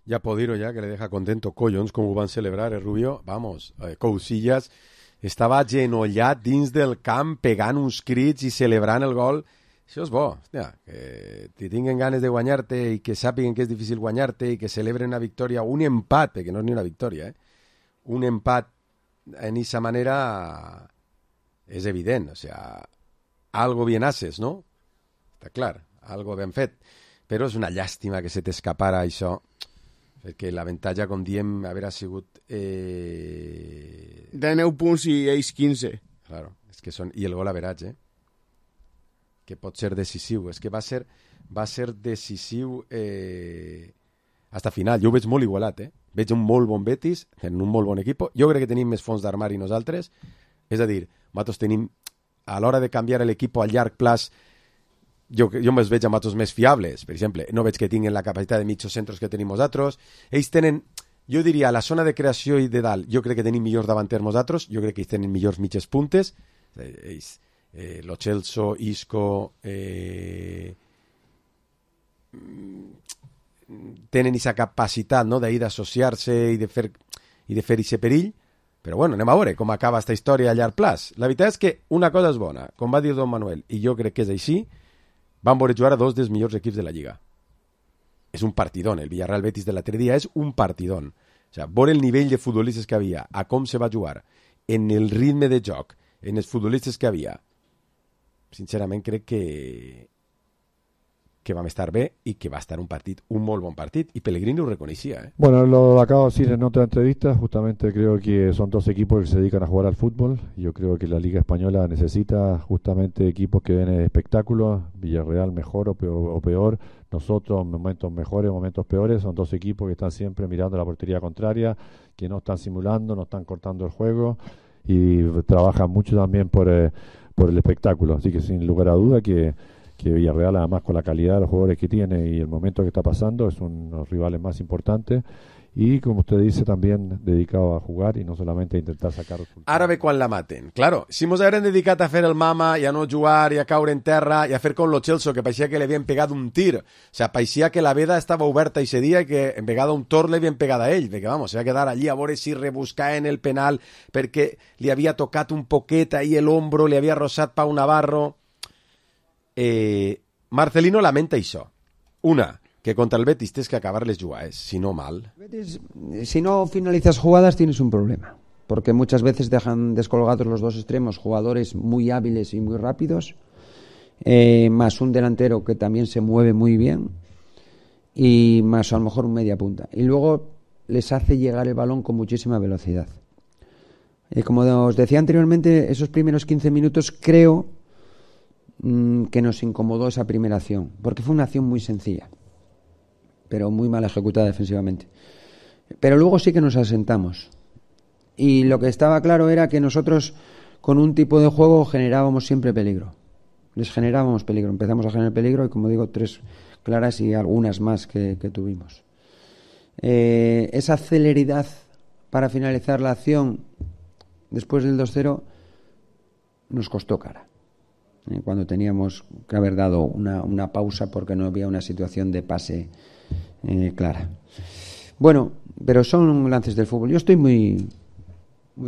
Ja puedo dir ja que le deja contento collons com ho van celebrar, Rubio. Vamos, Cousillas estava agenollat dins del camp pegant uns crits i celebrant el gol. Això és bo, hòstia, que te tinguen ganes de guanyar-te i que sàpiguen que és difícil guanyar-te i que celebren una victòria, un empat, perquè no és ni una victòria, un empat en esa manera és evident, o sea, algo bien haces, no? Està clar, algo ben fet, però és una llàstima que se t'escapara això, perquè l'avantatge, com diem, haver sigut de 9 punts i ells 15. Claro, és que són... I el gol average, que pot ser decisiu. És que va ser decisiu hasta final. Jo ho veig molt igualat, Veig un molt bon Betis, en un molt bon equip. Jo crec que tenim més fons d'armari nosaltres. És a dir, nosaltres tenim, a l'hora de canviar l'equip a llarg plaç, jo me'ls veig amb altres més fiables. Per exemple, no veig que tinguin la capacitat de mitjos centres que tenim nosaltres. Ells tenen, jo diria, a la zona de creació i de dalt, jo crec que tenim millors davanters nosaltres, jo crec que ells tenen millors mitges puntes. Ells... Lo Celso, Isco tenen aquesta capacitat, no, d'ahir d'associar-se i de fer aquest perill, però bueno, anem a veure com acaba aquesta història a llarg plaç. La veritat és que una cosa és bona, com va dir Don Manuel, i jo crec que és així, van veure jugar a dos dels millors equips de la Lliga. És un partidón, el Villarreal Betis de l'altre dia és un partidón. O sigui, veure el nivell de futbolistes que havia, a com se va jugar, en el ritme de joc, en els futbolistes que havia, sincerament crec que vam estar bé y que va a estar un molt bon partit, y Pellegrini lo reconocía. Bueno, lo acabo de decir en otra entrevista, justamente creo que son dos equipos que se dedican a jugar al fútbol. Yo creo que la Liga Española necesita justamente equipos que den espectáculos, Villarreal mejor o peor, nosotros momentos mejores, momentos peores, son dos equipos que están siempre mirando la portería contraria, que no están simulando, no están cortando el juego y trabajan mucho también por el espectáculo, así que sin lugar a duda que Villarreal, además con la calidad de los jugadores que tiene y el momento que está pasando, es uno de los rivales más importantes y, como usted dice, también dedicado a jugar y no solamente a intentar sacar resultados. Ara ve quan la maten. Claro, si mos hagueren dedicat a fer el mama i a no jugar i a caure en terra i a fer com lo Celso, que parecía que le havien pegat un tir, o sea, parecía que la veda estava oberta ese dia i que en vegada un tor le havien pegat a ell, perquè vamos, se va quedar allí a veure si rebuscar en el penal perquè li havia tocat un poquet ahí el hombro, li havia rosat Pau Navarro. Marcelino lamenta això. Una, que contra el Betis tienes que acabar les jugades, si no mal. Betis, si no finalizas jugadas tienes un problema, porque muchas veces dejan descolgados los dos extremos, jugadores muy hábiles y muy rápidos, más un delantero que también se mueve muy bien y más a lo mejor un media punta, y luego les hace llegar el balón con muchísima velocidad. Como os decía anteriormente, esos primeros 15 minutos creo que nos incomodó esa primera acción, porque fue una acción muy sencilla, pero muy mal ejecutada defensivamente. Pero luego sí que nos asentamos. Y lo que estaba claro era que nosotros, con un tipo de juego, generábamos siempre peligro. Les generábamos peligro, empezamos a generar peligro y, como digo, 3 claras y algunas más que tuvimos. Esa celeridad para finalizar la acción después del 2-0 nos costó cara. Cuando teníamos que haber dado una pausa porque no había una situación de pase clara. Bueno, pero son lances del fútbol. Yo estoy muy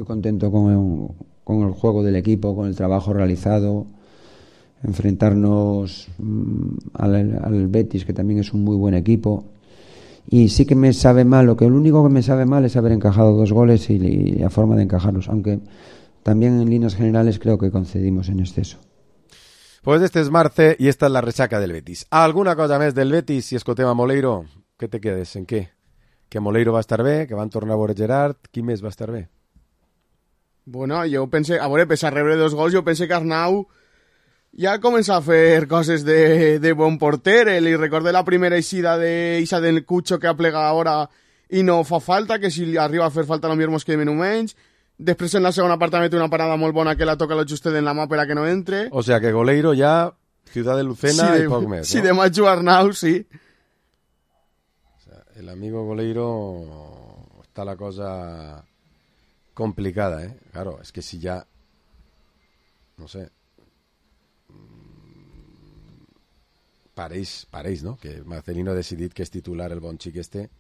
contento con el juego del equipo, con el trabajo realizado. Enfrentarnos al Betis, que también es un muy buen equipo. Y sí que me sabe mal, lo único que me sabe mal es haber encajado 2 goles y la forma de encajarlos, aunque también en líneas generales creo que concedimos en exceso. Pues este es Marce i esta és la resaca del Betis. Alguna cosa més del Betis si escoltem a Moleiro? Què te quedes? En què? Que Moleiro va estar bé, que van tornar a veure Gerard, qui més va estar bé? Bueno, jo pensé, a veure, pese a rebre 2 gols, jo pensé que Arnau ja comença a fer coses de bon porter. Li recordé la primera eixida d'Ixa del Cucho que aplega ara i no fa falta, que si arriba a fer falta no mos quedem en un menys. Després en la segona part també té una parada molt bona que la toca lo justet en la mà per a que no entre. O sea que Goleiro ja, Ciudad de Lucena i poc més, sí, ¿no? de Machu Arnau, sí. O sea, el amigo Goleiro está la cosa complicada, ¿eh? Claro, es que si ya, no sé, pareix, no? Que Marcelino ha decidit que és titular el bon xic este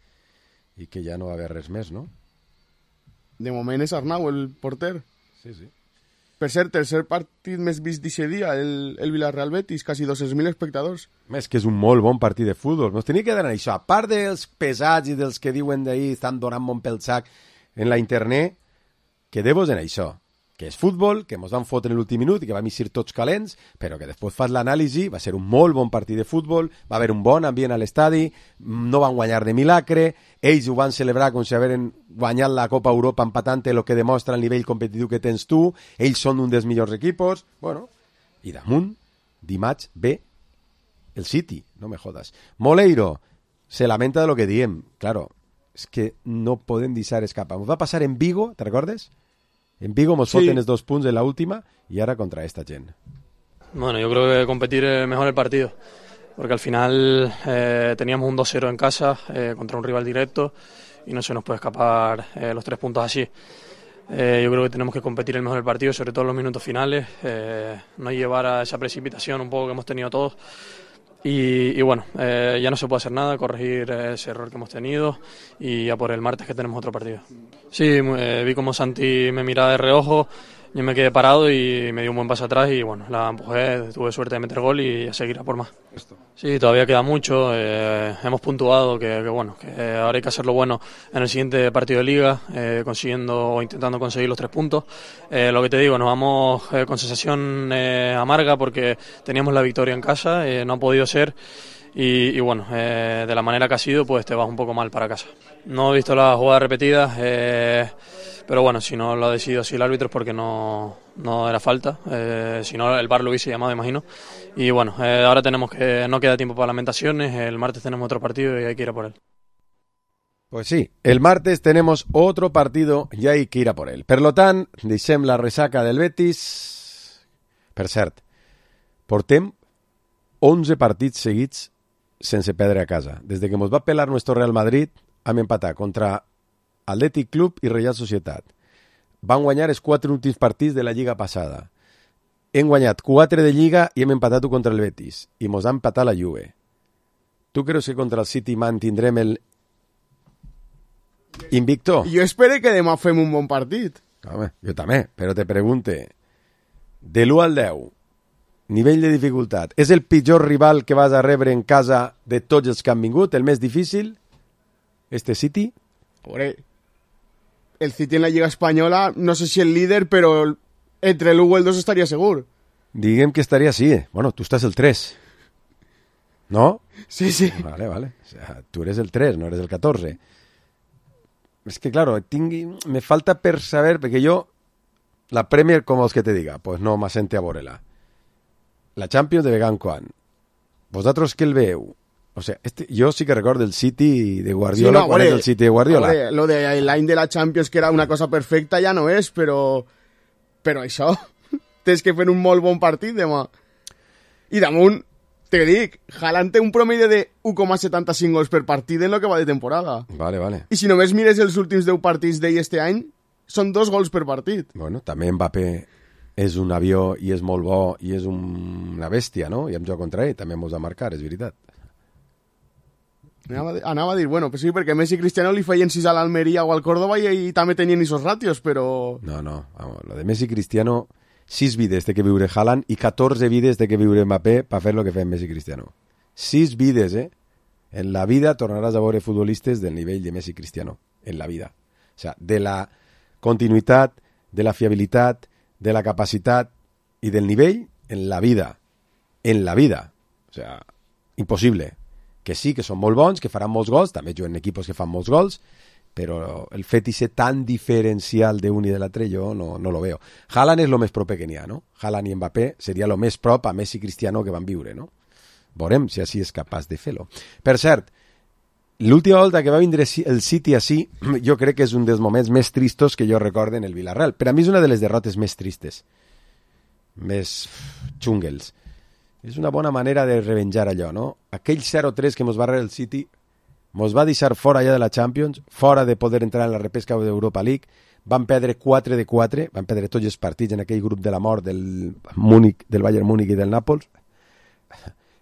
i que ja no va haver res més, no? De moment és Arnau, el porter. Sí, sí. Per cert, tercer partit més vist d'aquest dia, el Villarreal-Betis, quasi 200.000 espectadors. És que és un molt bon partit de futbol. Nos tenia que dar això. A part dels pesats i dels que diuen d'ahir estan donant molt pel sac en la internet, quedeu-vos en això. Que és futbol, que ens van fotre en l'últim minut i que vam eixir tots calents, però que després fas l'anàlisi, va ser un molt bon partit de futbol, va haver un bon ambient a l'estadi, no van guanyar de milagre, ells ho van celebrar com si hagueren guanyat la Copa Europa empatant el que demostra el nivell competitiu que tens tu, ells són un dels millors equipos, bueno, i damunt, dimarts ve el City, no me jodas. Moleiro se lamenta de lo que diem, claro, és que no podem deixar escapar. Ens va passar en Vigo, te recordes? En Vigo nos foten els 2 punts en la última y ahora contra esta gent. Bueno, yo creo que competir es mejor el partido, porque al final teníamos un 2-0 en casa contra un rival directo y no se nos puede escapar los 3 puntos así. Yo creo que tenemos que competir el mejor el partido, sobre todo en los minutos finales, no llevar a esa precipitación un poco que hemos tenido todos. Y bueno, ya no se puede hacer nada, corregir ese error que hemos tenido y ya por el martes que tenemos otro partido. Sí, vi como Santi me miraba de reojo, yo me quedé parado y me dio un buen paso atrás y bueno, la empujé, tuve suerte de meter gol y a seguir a por más. Sí, todavía queda mucho, hemos puntuado que bueno, que ahora hay que hacerlo bueno en el siguiente partido de liga, consiguiendo o intentando conseguir los 3 puntos. Lo que te digo, nos vamos con sensación amarga porque teníamos la victoria en casa, no ha podido ser. Y bueno, de la manera que ha sido, pues te vas un poco mal para casa. No he visto las jugadas repetidas, pero bueno, si no lo ha decidido así el árbitro es porque no era falta, si no el VAR lo hubiese llamado, imagino. Y bueno, ahora no queda tiempo para lamentaciones, el martes tenemos otro partido y hay que ir a por él. Pues sí, el martes tenemos otro partido y hay que ir a por él. Per lo tant, deixem la resaca del Betis. Per cert, portem 11 partits seguits sense perdre a casa. Des de que ens va pelar nuestro Real Madrid, hem empatat contra Athletic Club i Real Societat. Van guanyar els 4 últims partits de la Lliga passada. Hem guanyat 4 de Lliga i hem empatat contra el Betis. I ens ha empatat la Juve. Tu creus que contra el City mantindrem el invicto? Jo espero que demà fem un bon partit. Home, jo també, però te pregunte, de l'1 al 10, nivell de dificultat, és el pitjor rival que vas a rebre en casa de tots els que han vingut, el més difícil? Este City? Pobre, el City en la Lliga Espanyola, no sé si el líder, però entre el 1 i el 2 estaria segur. Diguem que estaria sí. Bueno, tu estàs el 3. ¿No? Sí, sí. Vale. O sea, tú eres el 3, no eres el 14. Es que, claro, me falta per saber, perquè jo La Premier, com vols que te diga? Pues no m'assente a veure-la. La Champions de vegan quan? Vosaltres què el veieu? O sea, jo sí que recordo el City de Guardiola, quan és el City de Guardiola. Lo de l'any de la Champions, que era una cosa perfecta, ja no és, però això, tens que fer un molt bon partit demà. I damunt, te dic, Haaland té un promedi de 1,75 gols per partit en lo que va de temporada. Vale. I si només mires els últims 10 partits d'ell este any, són 2 gols per partit. Bueno, també Mbappé és un avió i és molt bo i és una bèstia, no? I hem jugat contra ell, també mos va marcar, és veritat. Anava a dir, bueno, pues sí, perquè Messi i Cristiano li feien 6 a l'Almeria o al Córdoba i també tenien esos ratios, però... No, vamos, lo de Messi i Cristiano, 6 vides té que viure Haaland i 14 vides té que viure Mbappé per fer lo que fem Messi i Cristiano. 6 vides, En la vida tornaràs a veure futbolistes del nivell de Messi i Cristiano. En la vida. O sea, de la continuïtat, de la fiabilitat, de la capacitat i del nivell en la vida. En la vida. O sea, impossible. Que sí, que són molt bons, que faran molts gols, també juguen equipos que fan molts gols, però el fet de ser tan diferencial d'un i de l'altre jo no lo veo. Haaland és lo més proper que n'hi ha, no? Haaland i Mbappé seria lo més prop a Messi i Cristiano que van viure, no? Veurem si així és capaç de fer-lo. Per cert, l'última volta que va vindre el City així, jo crec que és un dels moments més tristos que jo recorde en el Villarreal. Per a mi és una de les derrotes més tristes, més xungles. És una bona manera de revenjar allò, no? Aquell 0-3 que mos va rebre el City mos va deixar fora ja de la Champions, fora de poder entrar en la repesca d'Europa League, van perdre 4 de 4, van perdre tots els partits en aquell grup de la mort del Bayern Múnich i del Nàpols,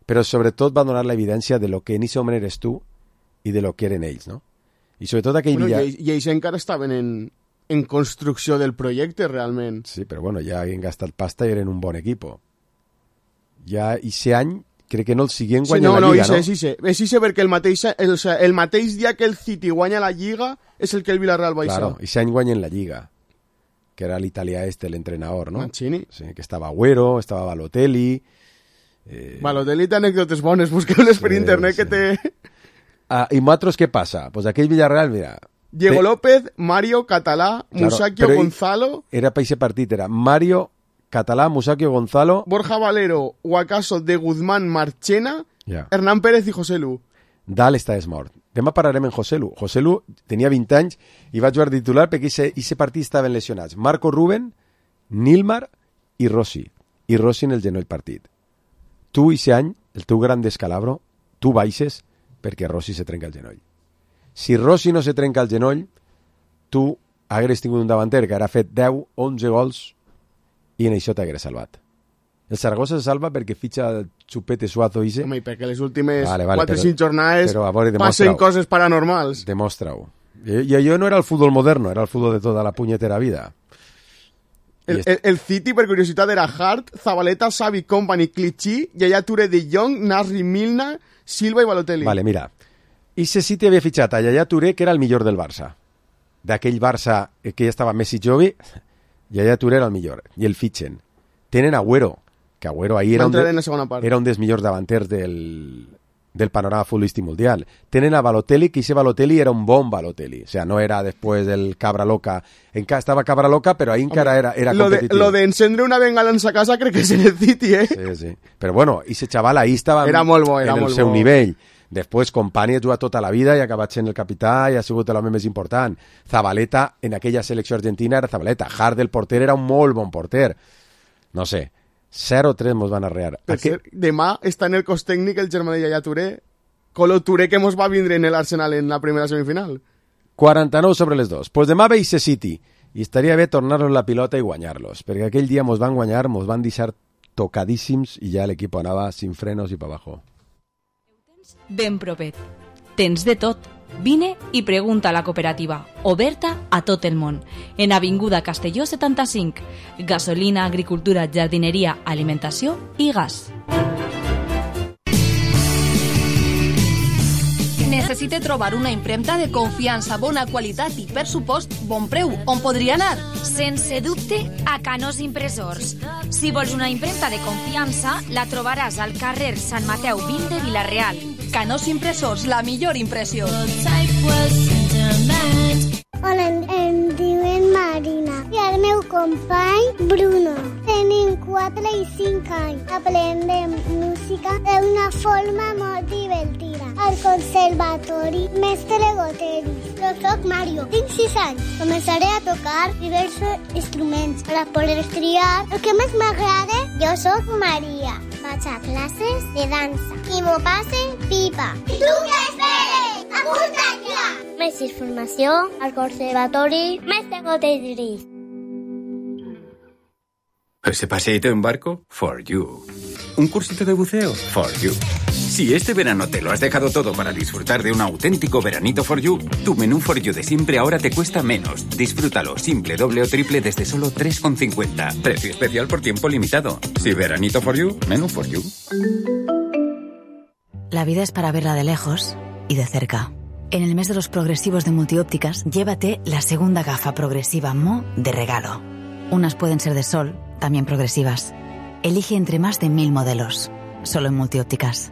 però sobretot va donar l'evidència de lo que en aquest moment eres tu i de lo que eren ells, no? I sobretot aquell... Bueno, i ells encara estaven en construcció del projecte, realment. Sí, però bueno, ja havien gastat pasta i eren un bon equipo. Ja aquest any crec que no el siguen guanyant la Lliga, no? Sí, perquè el mateix dia que el City guanya la Lliga és el que el Villarreal va Claro, aquest any guanyen la Lliga, que era l'italià l'entrenador, no? Mancini. Sí, que estava Agüero, estava Balotelli... Balotelli té anècdotes bones, busqueu-les per internet que té... I nosaltres què passa? Pues aquell Villarreal, mira... Diego López, Mario, Català, Musacchio, Gonzalo... Era per aquest partit, era Mario, Català, Musacchio, Gonzalo... Borja Valero, o acaso de Guzmán, Marchena, Hernán Pérez i José Lu. Dalt està mort. Demà parlarem en José Lu. José Lu tenia 20 anys i va jugar titular perquè aquest partit estaven lesionats. Marco Rubén, Nilmar i Rossi. I Rossi en el genoll partit. Tu, aquest any, el teu gran descalabro, tu baixes perquè Rossi se trenca el genoll. Si Rossi no se trenca el genoll, tu hagués tingut un davanter que hagués fet 10, 11 gols i en això t'hagués salvat. El Zaragoza se salva perquè fitxa el Chupete Suazo i Home, i perquè les últimes 4 o 5 jornades passen coses paranormals. Demostra-ho. I allò no era el futbol moderno, era el futbol de tota la punyetera vida. El City, per curiositat, era Hart, Zabaleta, Xavi, Company, Clichy, Yaya Touré, De Jong, Nasri, Milna, Silva i Balotelli. Vale, mira. Ese City havia fitxat a Yaya Touré, que era el millor del Barça. D'aquell Barça que ja estava Messi Jovi, Yaya Touré era el millor. I el fitxen. Tenen Agüero, que Agüero ahir era un dels millors davanters del panorama futbolístic mundial. Tenen a Balotelli, que ese Balotelli era un bon Balotelli. O sea, no era después del Cabra Loca. Estava Cabra Loca, però ahí encara era competitiu. Lo de encendre una bengala en sa casa crec que és en el City, Sí. Però bueno, ese chaval ahí estava era molt bo, en el seu nivell. Després, Company ha jugat tota la vida i ha acabat sent el capità i ha sigut l'home més important. Zabaleta, en aquella selecció argentina, era Zabaleta. Hart, el porter, era un molt bon porter. No sé, 0-3 mos van arrear. Demà està en el cos tècnic el germà de Yaya Touré, Colo Touré, que mos va vindre en l'Arsenal en la primera semifinal. 49 sobre les 2. Pues demà veig City i estaria bé tornar-los la pilota i guanyar-los, perquè aquell dia mos van guanyar, mos van deixar tocadíssims i ja l'equip anava sin frenos i pa abajo. Ben propet. Tens de tot. Vine i pregunta a la cooperativa, oberta a tot el món, en Avinguda Castelló 75, gasolina, agricultura, jardineria, alimentació i gas. Necessite trobar una impremta de confiança, bona qualitat i, per supost, bon preu. On podria anar? Sense dubte, a Canós Impressors. Si vols una impremta de confiança, la trobaràs al carrer Sant Mateu 20 de Vila-real. Canós Impressors, la millor impressió. Hola, em diuen Marina. I el meu company company Bruno. Tenim 4 i 5 anys. Aprendem música d'una forma molt divertida. Al conservatori Mestre Goteri. Jo soc Mario, tinc 6 anys. Començaré a tocar diversos instruments per a poder triar el que més m'agrada. Jo soc Maria. Vaig a classes de dansa i m'ho passe pipa. I tu què esperes? Apunta't ja! Més informació al conservatori Mestre Goteri. ¿Ese paseíto en barco? For you. ¿Un cursito de buceo? For you. Si este verano te lo has dejado todo para disfrutar de un auténtico veranito For you, tu menú For you de siempre ahora te cuesta menos. Disfrútalo simple, doble o triple desde solo 3,50. Precio especial por tiempo limitado. Si veranito For you, menú For you. La vida es para verla de lejos y de cerca. En el mes de los progresivos de Multiópticas, llévate la segunda gafa progresiva Mo de regalo. Unas pueden ser de sol, también progresivas. Elige entre más de 1000 modelos. Solo en Multiópticas.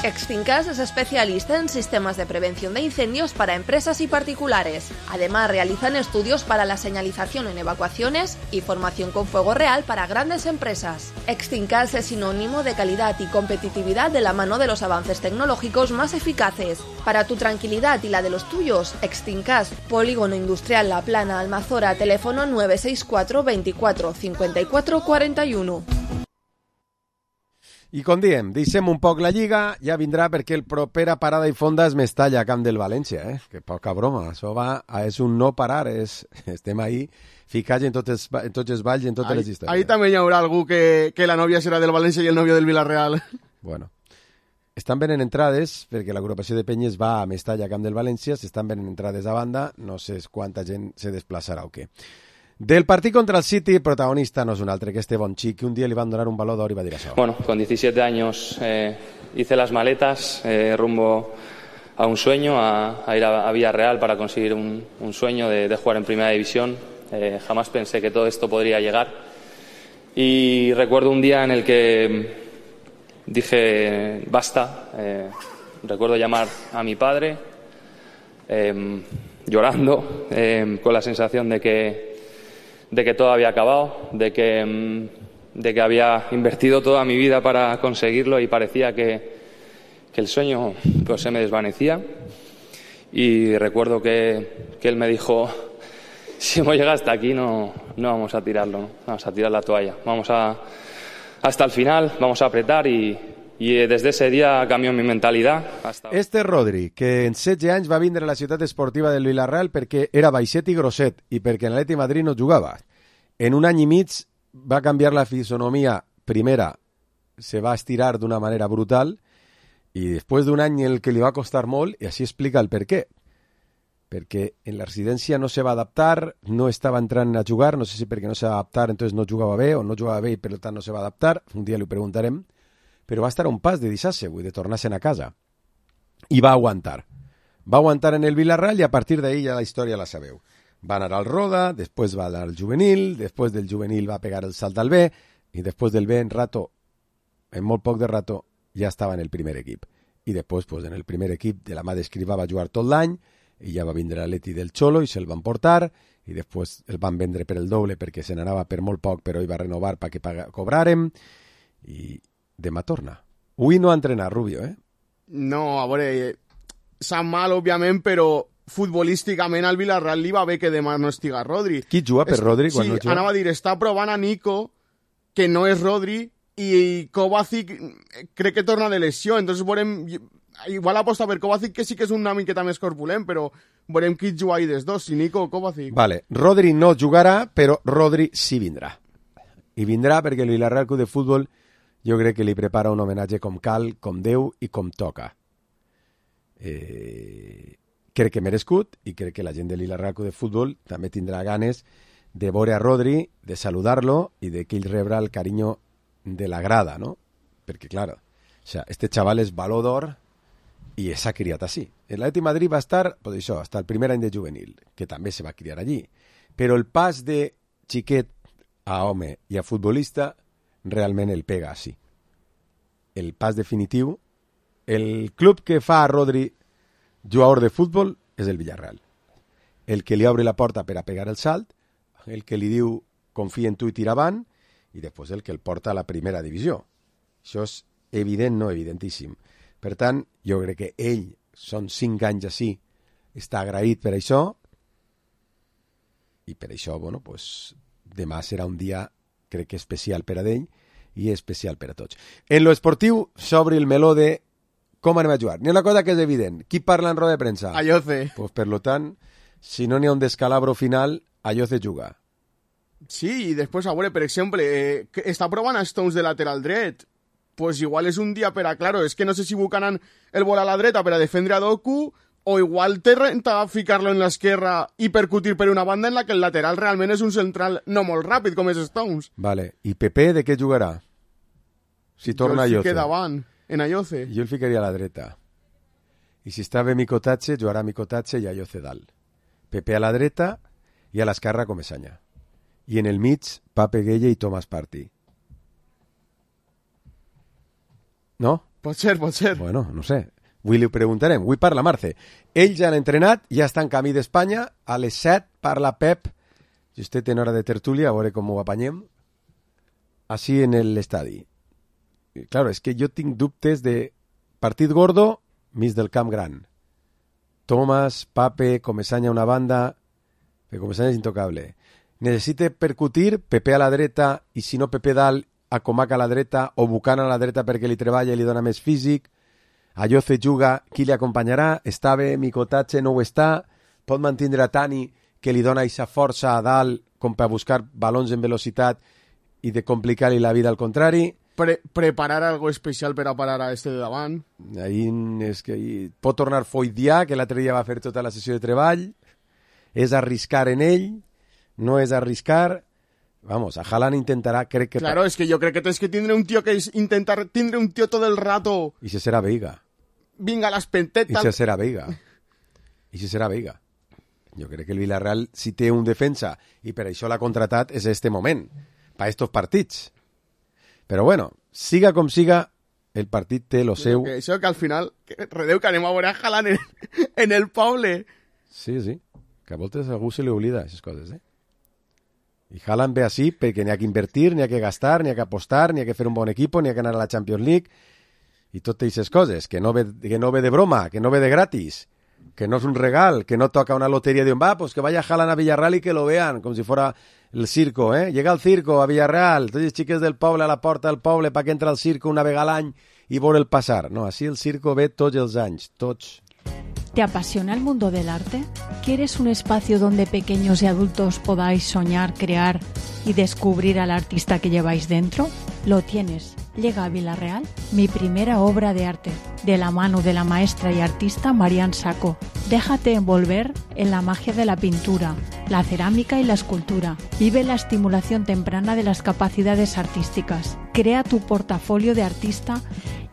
Extincas es especialista en sistemas de prevención de incendios para empresas y particulares. Además, realizan estudios para la señalización en evacuaciones y formación con fuego real para grandes empresas. Extincas es sinónimo de calidad y competitividad de la mano de los avances tecnológicos más eficaces. Para tu tranquilidad y la de los tuyos, Extincas, Polígono Industrial La Plana, Almazora, teléfono 964 24 54 41. I com diem, deixem un poc la Lliga, ja vindrà perquè el propera parada i fonda és Mestalla, camp del València, Que poca broma, això és un no parar, estem ahí ficats en tots els balls i en totes les històries. Ahí també hi haurà algú que la nòvia serà del València i el nòvio del Villarreal. Bueno, estan venent entrades, perquè l'agrupació de penyes va a Mestalla, camp del València, s'estan venent entrades a banda, no sé quanta gent se desplaçarà o què. Del partit contra el City, protagonista no es un altre que este Bonchi, que un día le iban a donar un balón de oro y va a decir eso. Bueno, con 17 años hice las maletas rumbo a un sueño, a ir a Villarreal para conseguir un sueño de jugar en Primera División. Jamás pensé que todo esto podría llegar. Y recuerdo un día en el que dije, basta. Recuerdo llamar a mi padre, llorando, con la sensación de que todo había acabado, de que había invertido toda mi vida para conseguirlo y parecía que el sueño pues se me desvanecía. Y recuerdo que él me dijo, si hemos llegado hasta aquí no vamos a tirarlo, ¿no? Vamos a tirar la toalla, vamos hasta el final, vamos a apretar y des d'ese dia canvió mi mentalitat. Este Rodri, que en 16 anys va vindre a la ciutat esportiva del Villarreal perquè era baixet i grosset i perquè en l'Atleti Madrid no jugava. En un any i mig va canviar la fisonomia. Primera, se va estirar d'una manera brutal i després d'un any el que li va costar molt, i així explica el per què. Perquè en la residència no se va adaptar, no estava entrant a jugar, no sé si perquè no se va adaptar, entonces no jugava bé, o no jugava bé i per tant no se va adaptar, un dia li ho preguntarem, però va estar a un pas de deixar-se, de tornar-se'n a casa. I va aguantar. Va aguantar en el Villarreal i a partir d'ahí ja la història la sabeu. Va anar al Roda, després va anar al juvenil, després del juvenil va pegar el salt al B i després del B en molt poc de rato ja estava en el primer equip. I després pues, en el primer equip de la mà d'Escrivà va jugar tot l'any i ja va vindre l'Atleti del Xolo i se'l van portar i després el van vendre per el doble perquè se n'anava per molt poc però ell va renovar perquè cobràrem i demà torna. Avui no ha entrenat Rubio, No, a veure, sap mal, òbviament, però futbolísticament al Villarreal li va bé que demà no estiga Rodri. Qui juga per Rodri quan no juga? Sí, anava a dir, està provant a Nico, que no és Rodri, i Kovacic crec que torna de lesió, entonces veurem, igual aposta per Kovacic, que sí que és una miqueta més corpulent, però veurem qui juga ahí des dos, si Nico o Kovacic. Vale, Rodri no jugarà, però Rodri sí vindrà. I vindrà perquè el Villarreal Club de Futbol jo crec que li prepara un homenatge com cal, com Déu i com toca. Crec que merescut i crec que la gent de Villarreal Club de Futbol també tindrà ganes de veure a Rodri, de saludar-lo i de que ell rebrà el carinyo de la grada, ¿no? Perquè, claro, o sea, este chaval és baló d'or i s'ha criat així. L'Atleti Madrid va estar, pues això, hasta el primer any de juvenil, que també se va criar allí. Però el pas de xiquet a home i a futbolista realment el pega així. El pas definitiu, el club que fa a Rodri jugador de futbol és el Villarreal. El que li obre la porta per a pegar el salt, el que li diu confia en tu i tira avant, i després el que el porta a la primera divisió. Això és evident, no evidentíssim. Per tant, jo crec que ell, són 5 anys així, està agraït per això, i per això, bueno, pues, demà serà un dia, crec que especial per a ell, i especial per a tots. En lo esportiu s'obre el meló de com anem a jugar. N'hi ha una cosa que és evident. Qui parla en roda de premsa? Ayoce. Pues, per lo tant, si no n'hi ha un descalabro final, Ayoce juga. Sí, i després, a veure, per exemple, està provant a Stones de lateral dret. Pues igual és un dia per a, claro, és que no sé si Buchanan el vol a la dreta per a defendre a Doku, o igual té renta ficar-lo en l'esquerra i percutir per una banda en la que el lateral realment és un central no molt ràpid, com és Stones. Vale. I Pepe de què jugarà? Si torna Ayoce. Jo el fiqué davant, en Ayoce. Jo el ficaria a la dreta. I si està bé Mikotatse, jugarà Mikotatse i Ayoce dalt. Pepe a la dreta i a l'esquerra Comesaña. I en el mig, Pape Gueye i Tomàs Partey. No? Pot ser. Bueno, no sé. Avui li ho preguntarem. Avui parla Marce. Ells ja han entrenat, ja està en camí d'Espanya. A les 7 parla Pep. Justet en hora de tertúlia, a veure com ho apanyem. Així en l'estadi. Claro, és que jo tinc dubtes de partit gordo, mig del camp gran. Tomàs, Pape, Comesaña una banda. Perquè Comesaña és intocable. Necessita percutir, Pepe a la dreta, i si no Pepe dalt, a Comac a la dreta, o Buchanan a la dreta perquè li treballa i li dona més físic. Ayoce juga, qui li acompanyarà? Està bé, Mikotatse no ho està, pot mantindre a Tani, que li dona aquesta força a dalt, com per buscar balons en velocitat i de complicar-li la vida al contrari. Preparar algo especial per a parar a este de davant. Ahí és que pot tornar Foydià, que l'altre dia va fer tota la sessió de treball. És arriscar en ell, no és arriscar. Vamos, a Haaland intentarà, crec que... Claro, es que yo creo que tienes que tindre un tío que es intentar... Tindre un tío todo el rato... I si serà Veiga. Vinga, las pentetas... I si serà Veiga. Jo crec que el Villarreal, si té un defensa, i per això l'ha contratat, és este moment, per estos partits. Però bueno, siga com siga, el partit té lo seu... Això que al final, redeu que anem a veure a Haaland en el poble. Sí, que a voltes a algú se li oblida aquestes coses, I Haaland ve així perquè n'hi ha que invertir, n'hi ha que gastar, n'hi ha que apostar, n'hi ha que fer un bon equip, n'hi ha que anar a la Champions League i totes aquestes coses, que no ve de broma, que no ve de gratis, que no és un regal, que no toca una lotería de un pues que vaya Haaland a Villarreal y que lo vean, como si fuera el circo, Llega al circo a Villarreal, tots els xiques del poble a la porta del poble para que entra al circo una vegada al any i veure'l passar. No, així el circo ve tots els anys, tots. ¿Te apasiona el mundo del arte? ¿Quieres un espacio donde pequeños y adultos podáis soñar, crear y descubrir al artista que lleváis dentro? Lo tienes. Llega a Villarreal mi primera obra de arte, de la mano de la maestra y artista Marian Sacco. Déjate envolver en la magia de la pintura, la cerámica y la escultura. Vive la estimulación temprana de las capacidades artísticas. Crea tu portafolio de artista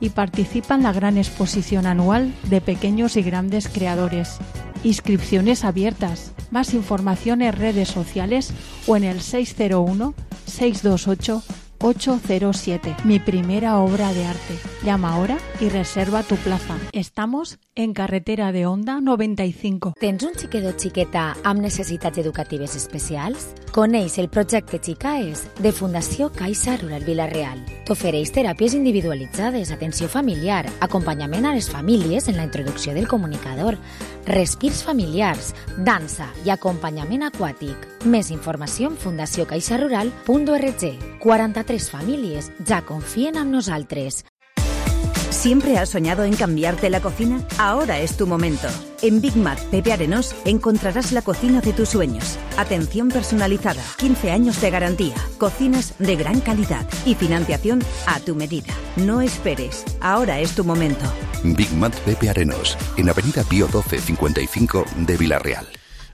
y participa en la gran exposición anual de pequeños y grandes creadores. Inscripciones abiertas. Más información en redes sociales o en el 601-628-807. Mi primera obra de arte. Llama ahora y reserva tu plaza. Estamos en carretera de Onda 95. Tens un xiquet o xiqueta amb necessitats educatives especials? Coneix el projecte Xicaes de Fundació Caixa Rural Villarreal. T'ofereix teràpies individualitzades, atenció familiar, acompanyament a les famílies en la introducció del comunicador, respirs familiars, dansa i acompanyament aquàtic. Més informació en fundaciocaixarural.org. 43 famílies ja confien en nosaltres. ¿Siempre has soñado en cambiarte la cocina? Ahora es tu momento. En Big Mac Pepe Arenós encontrarás la cocina de tus sueños. Atención personalizada, 15 años de garantía, cocinas de gran calidad y financiación a tu medida. No esperes, ahora es tu momento. Big Mac Pepe Arenós, en Avenida Pío 12 55 de Villarreal.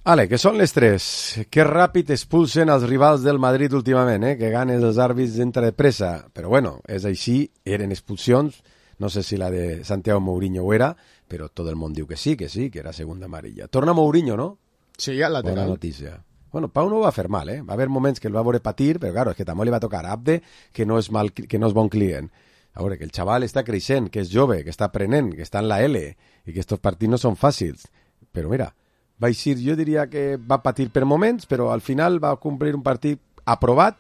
Ale, que són les 3. Que ràpid expulsen els rivals del Madrid últimament, que ganen els àrbits d'entre de pressa. Però bueno, és així, eren expulsions. No sé si la de Santiago Mourinho ho era, però tot el món diu que sí, que era segunda amarilla. Torna Mourinho, no? Sí, al lateral. Bona notícia. Bueno, Pau no ho va fer mal, Va haver moments que el va veure patir, però claro, és que també li va tocar a Abde, que no és bon client. A veure, que el xaval està creixent, que és jove, que està aprenent, que està en la L, i que estos partits no són fàcils. Però mira, jo diria que va patir per moments, però al final va complir un partit aprovat,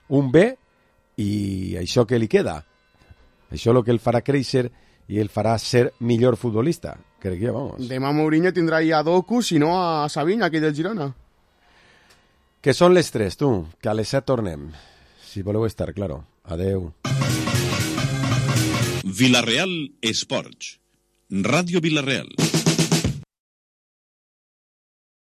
un B, i això que li queda. Això és el que el farà créixer i el farà ser millor futbolista. Crec que, vamos. Demà Mourinho tindrà ja a Doku, si no a Savinha, aquell del Girona. Que són les 3, tu, que a les 7 tornem. Si voleu estar, claro. Adeu. Vilareal Esports. Ràdio Vilareal.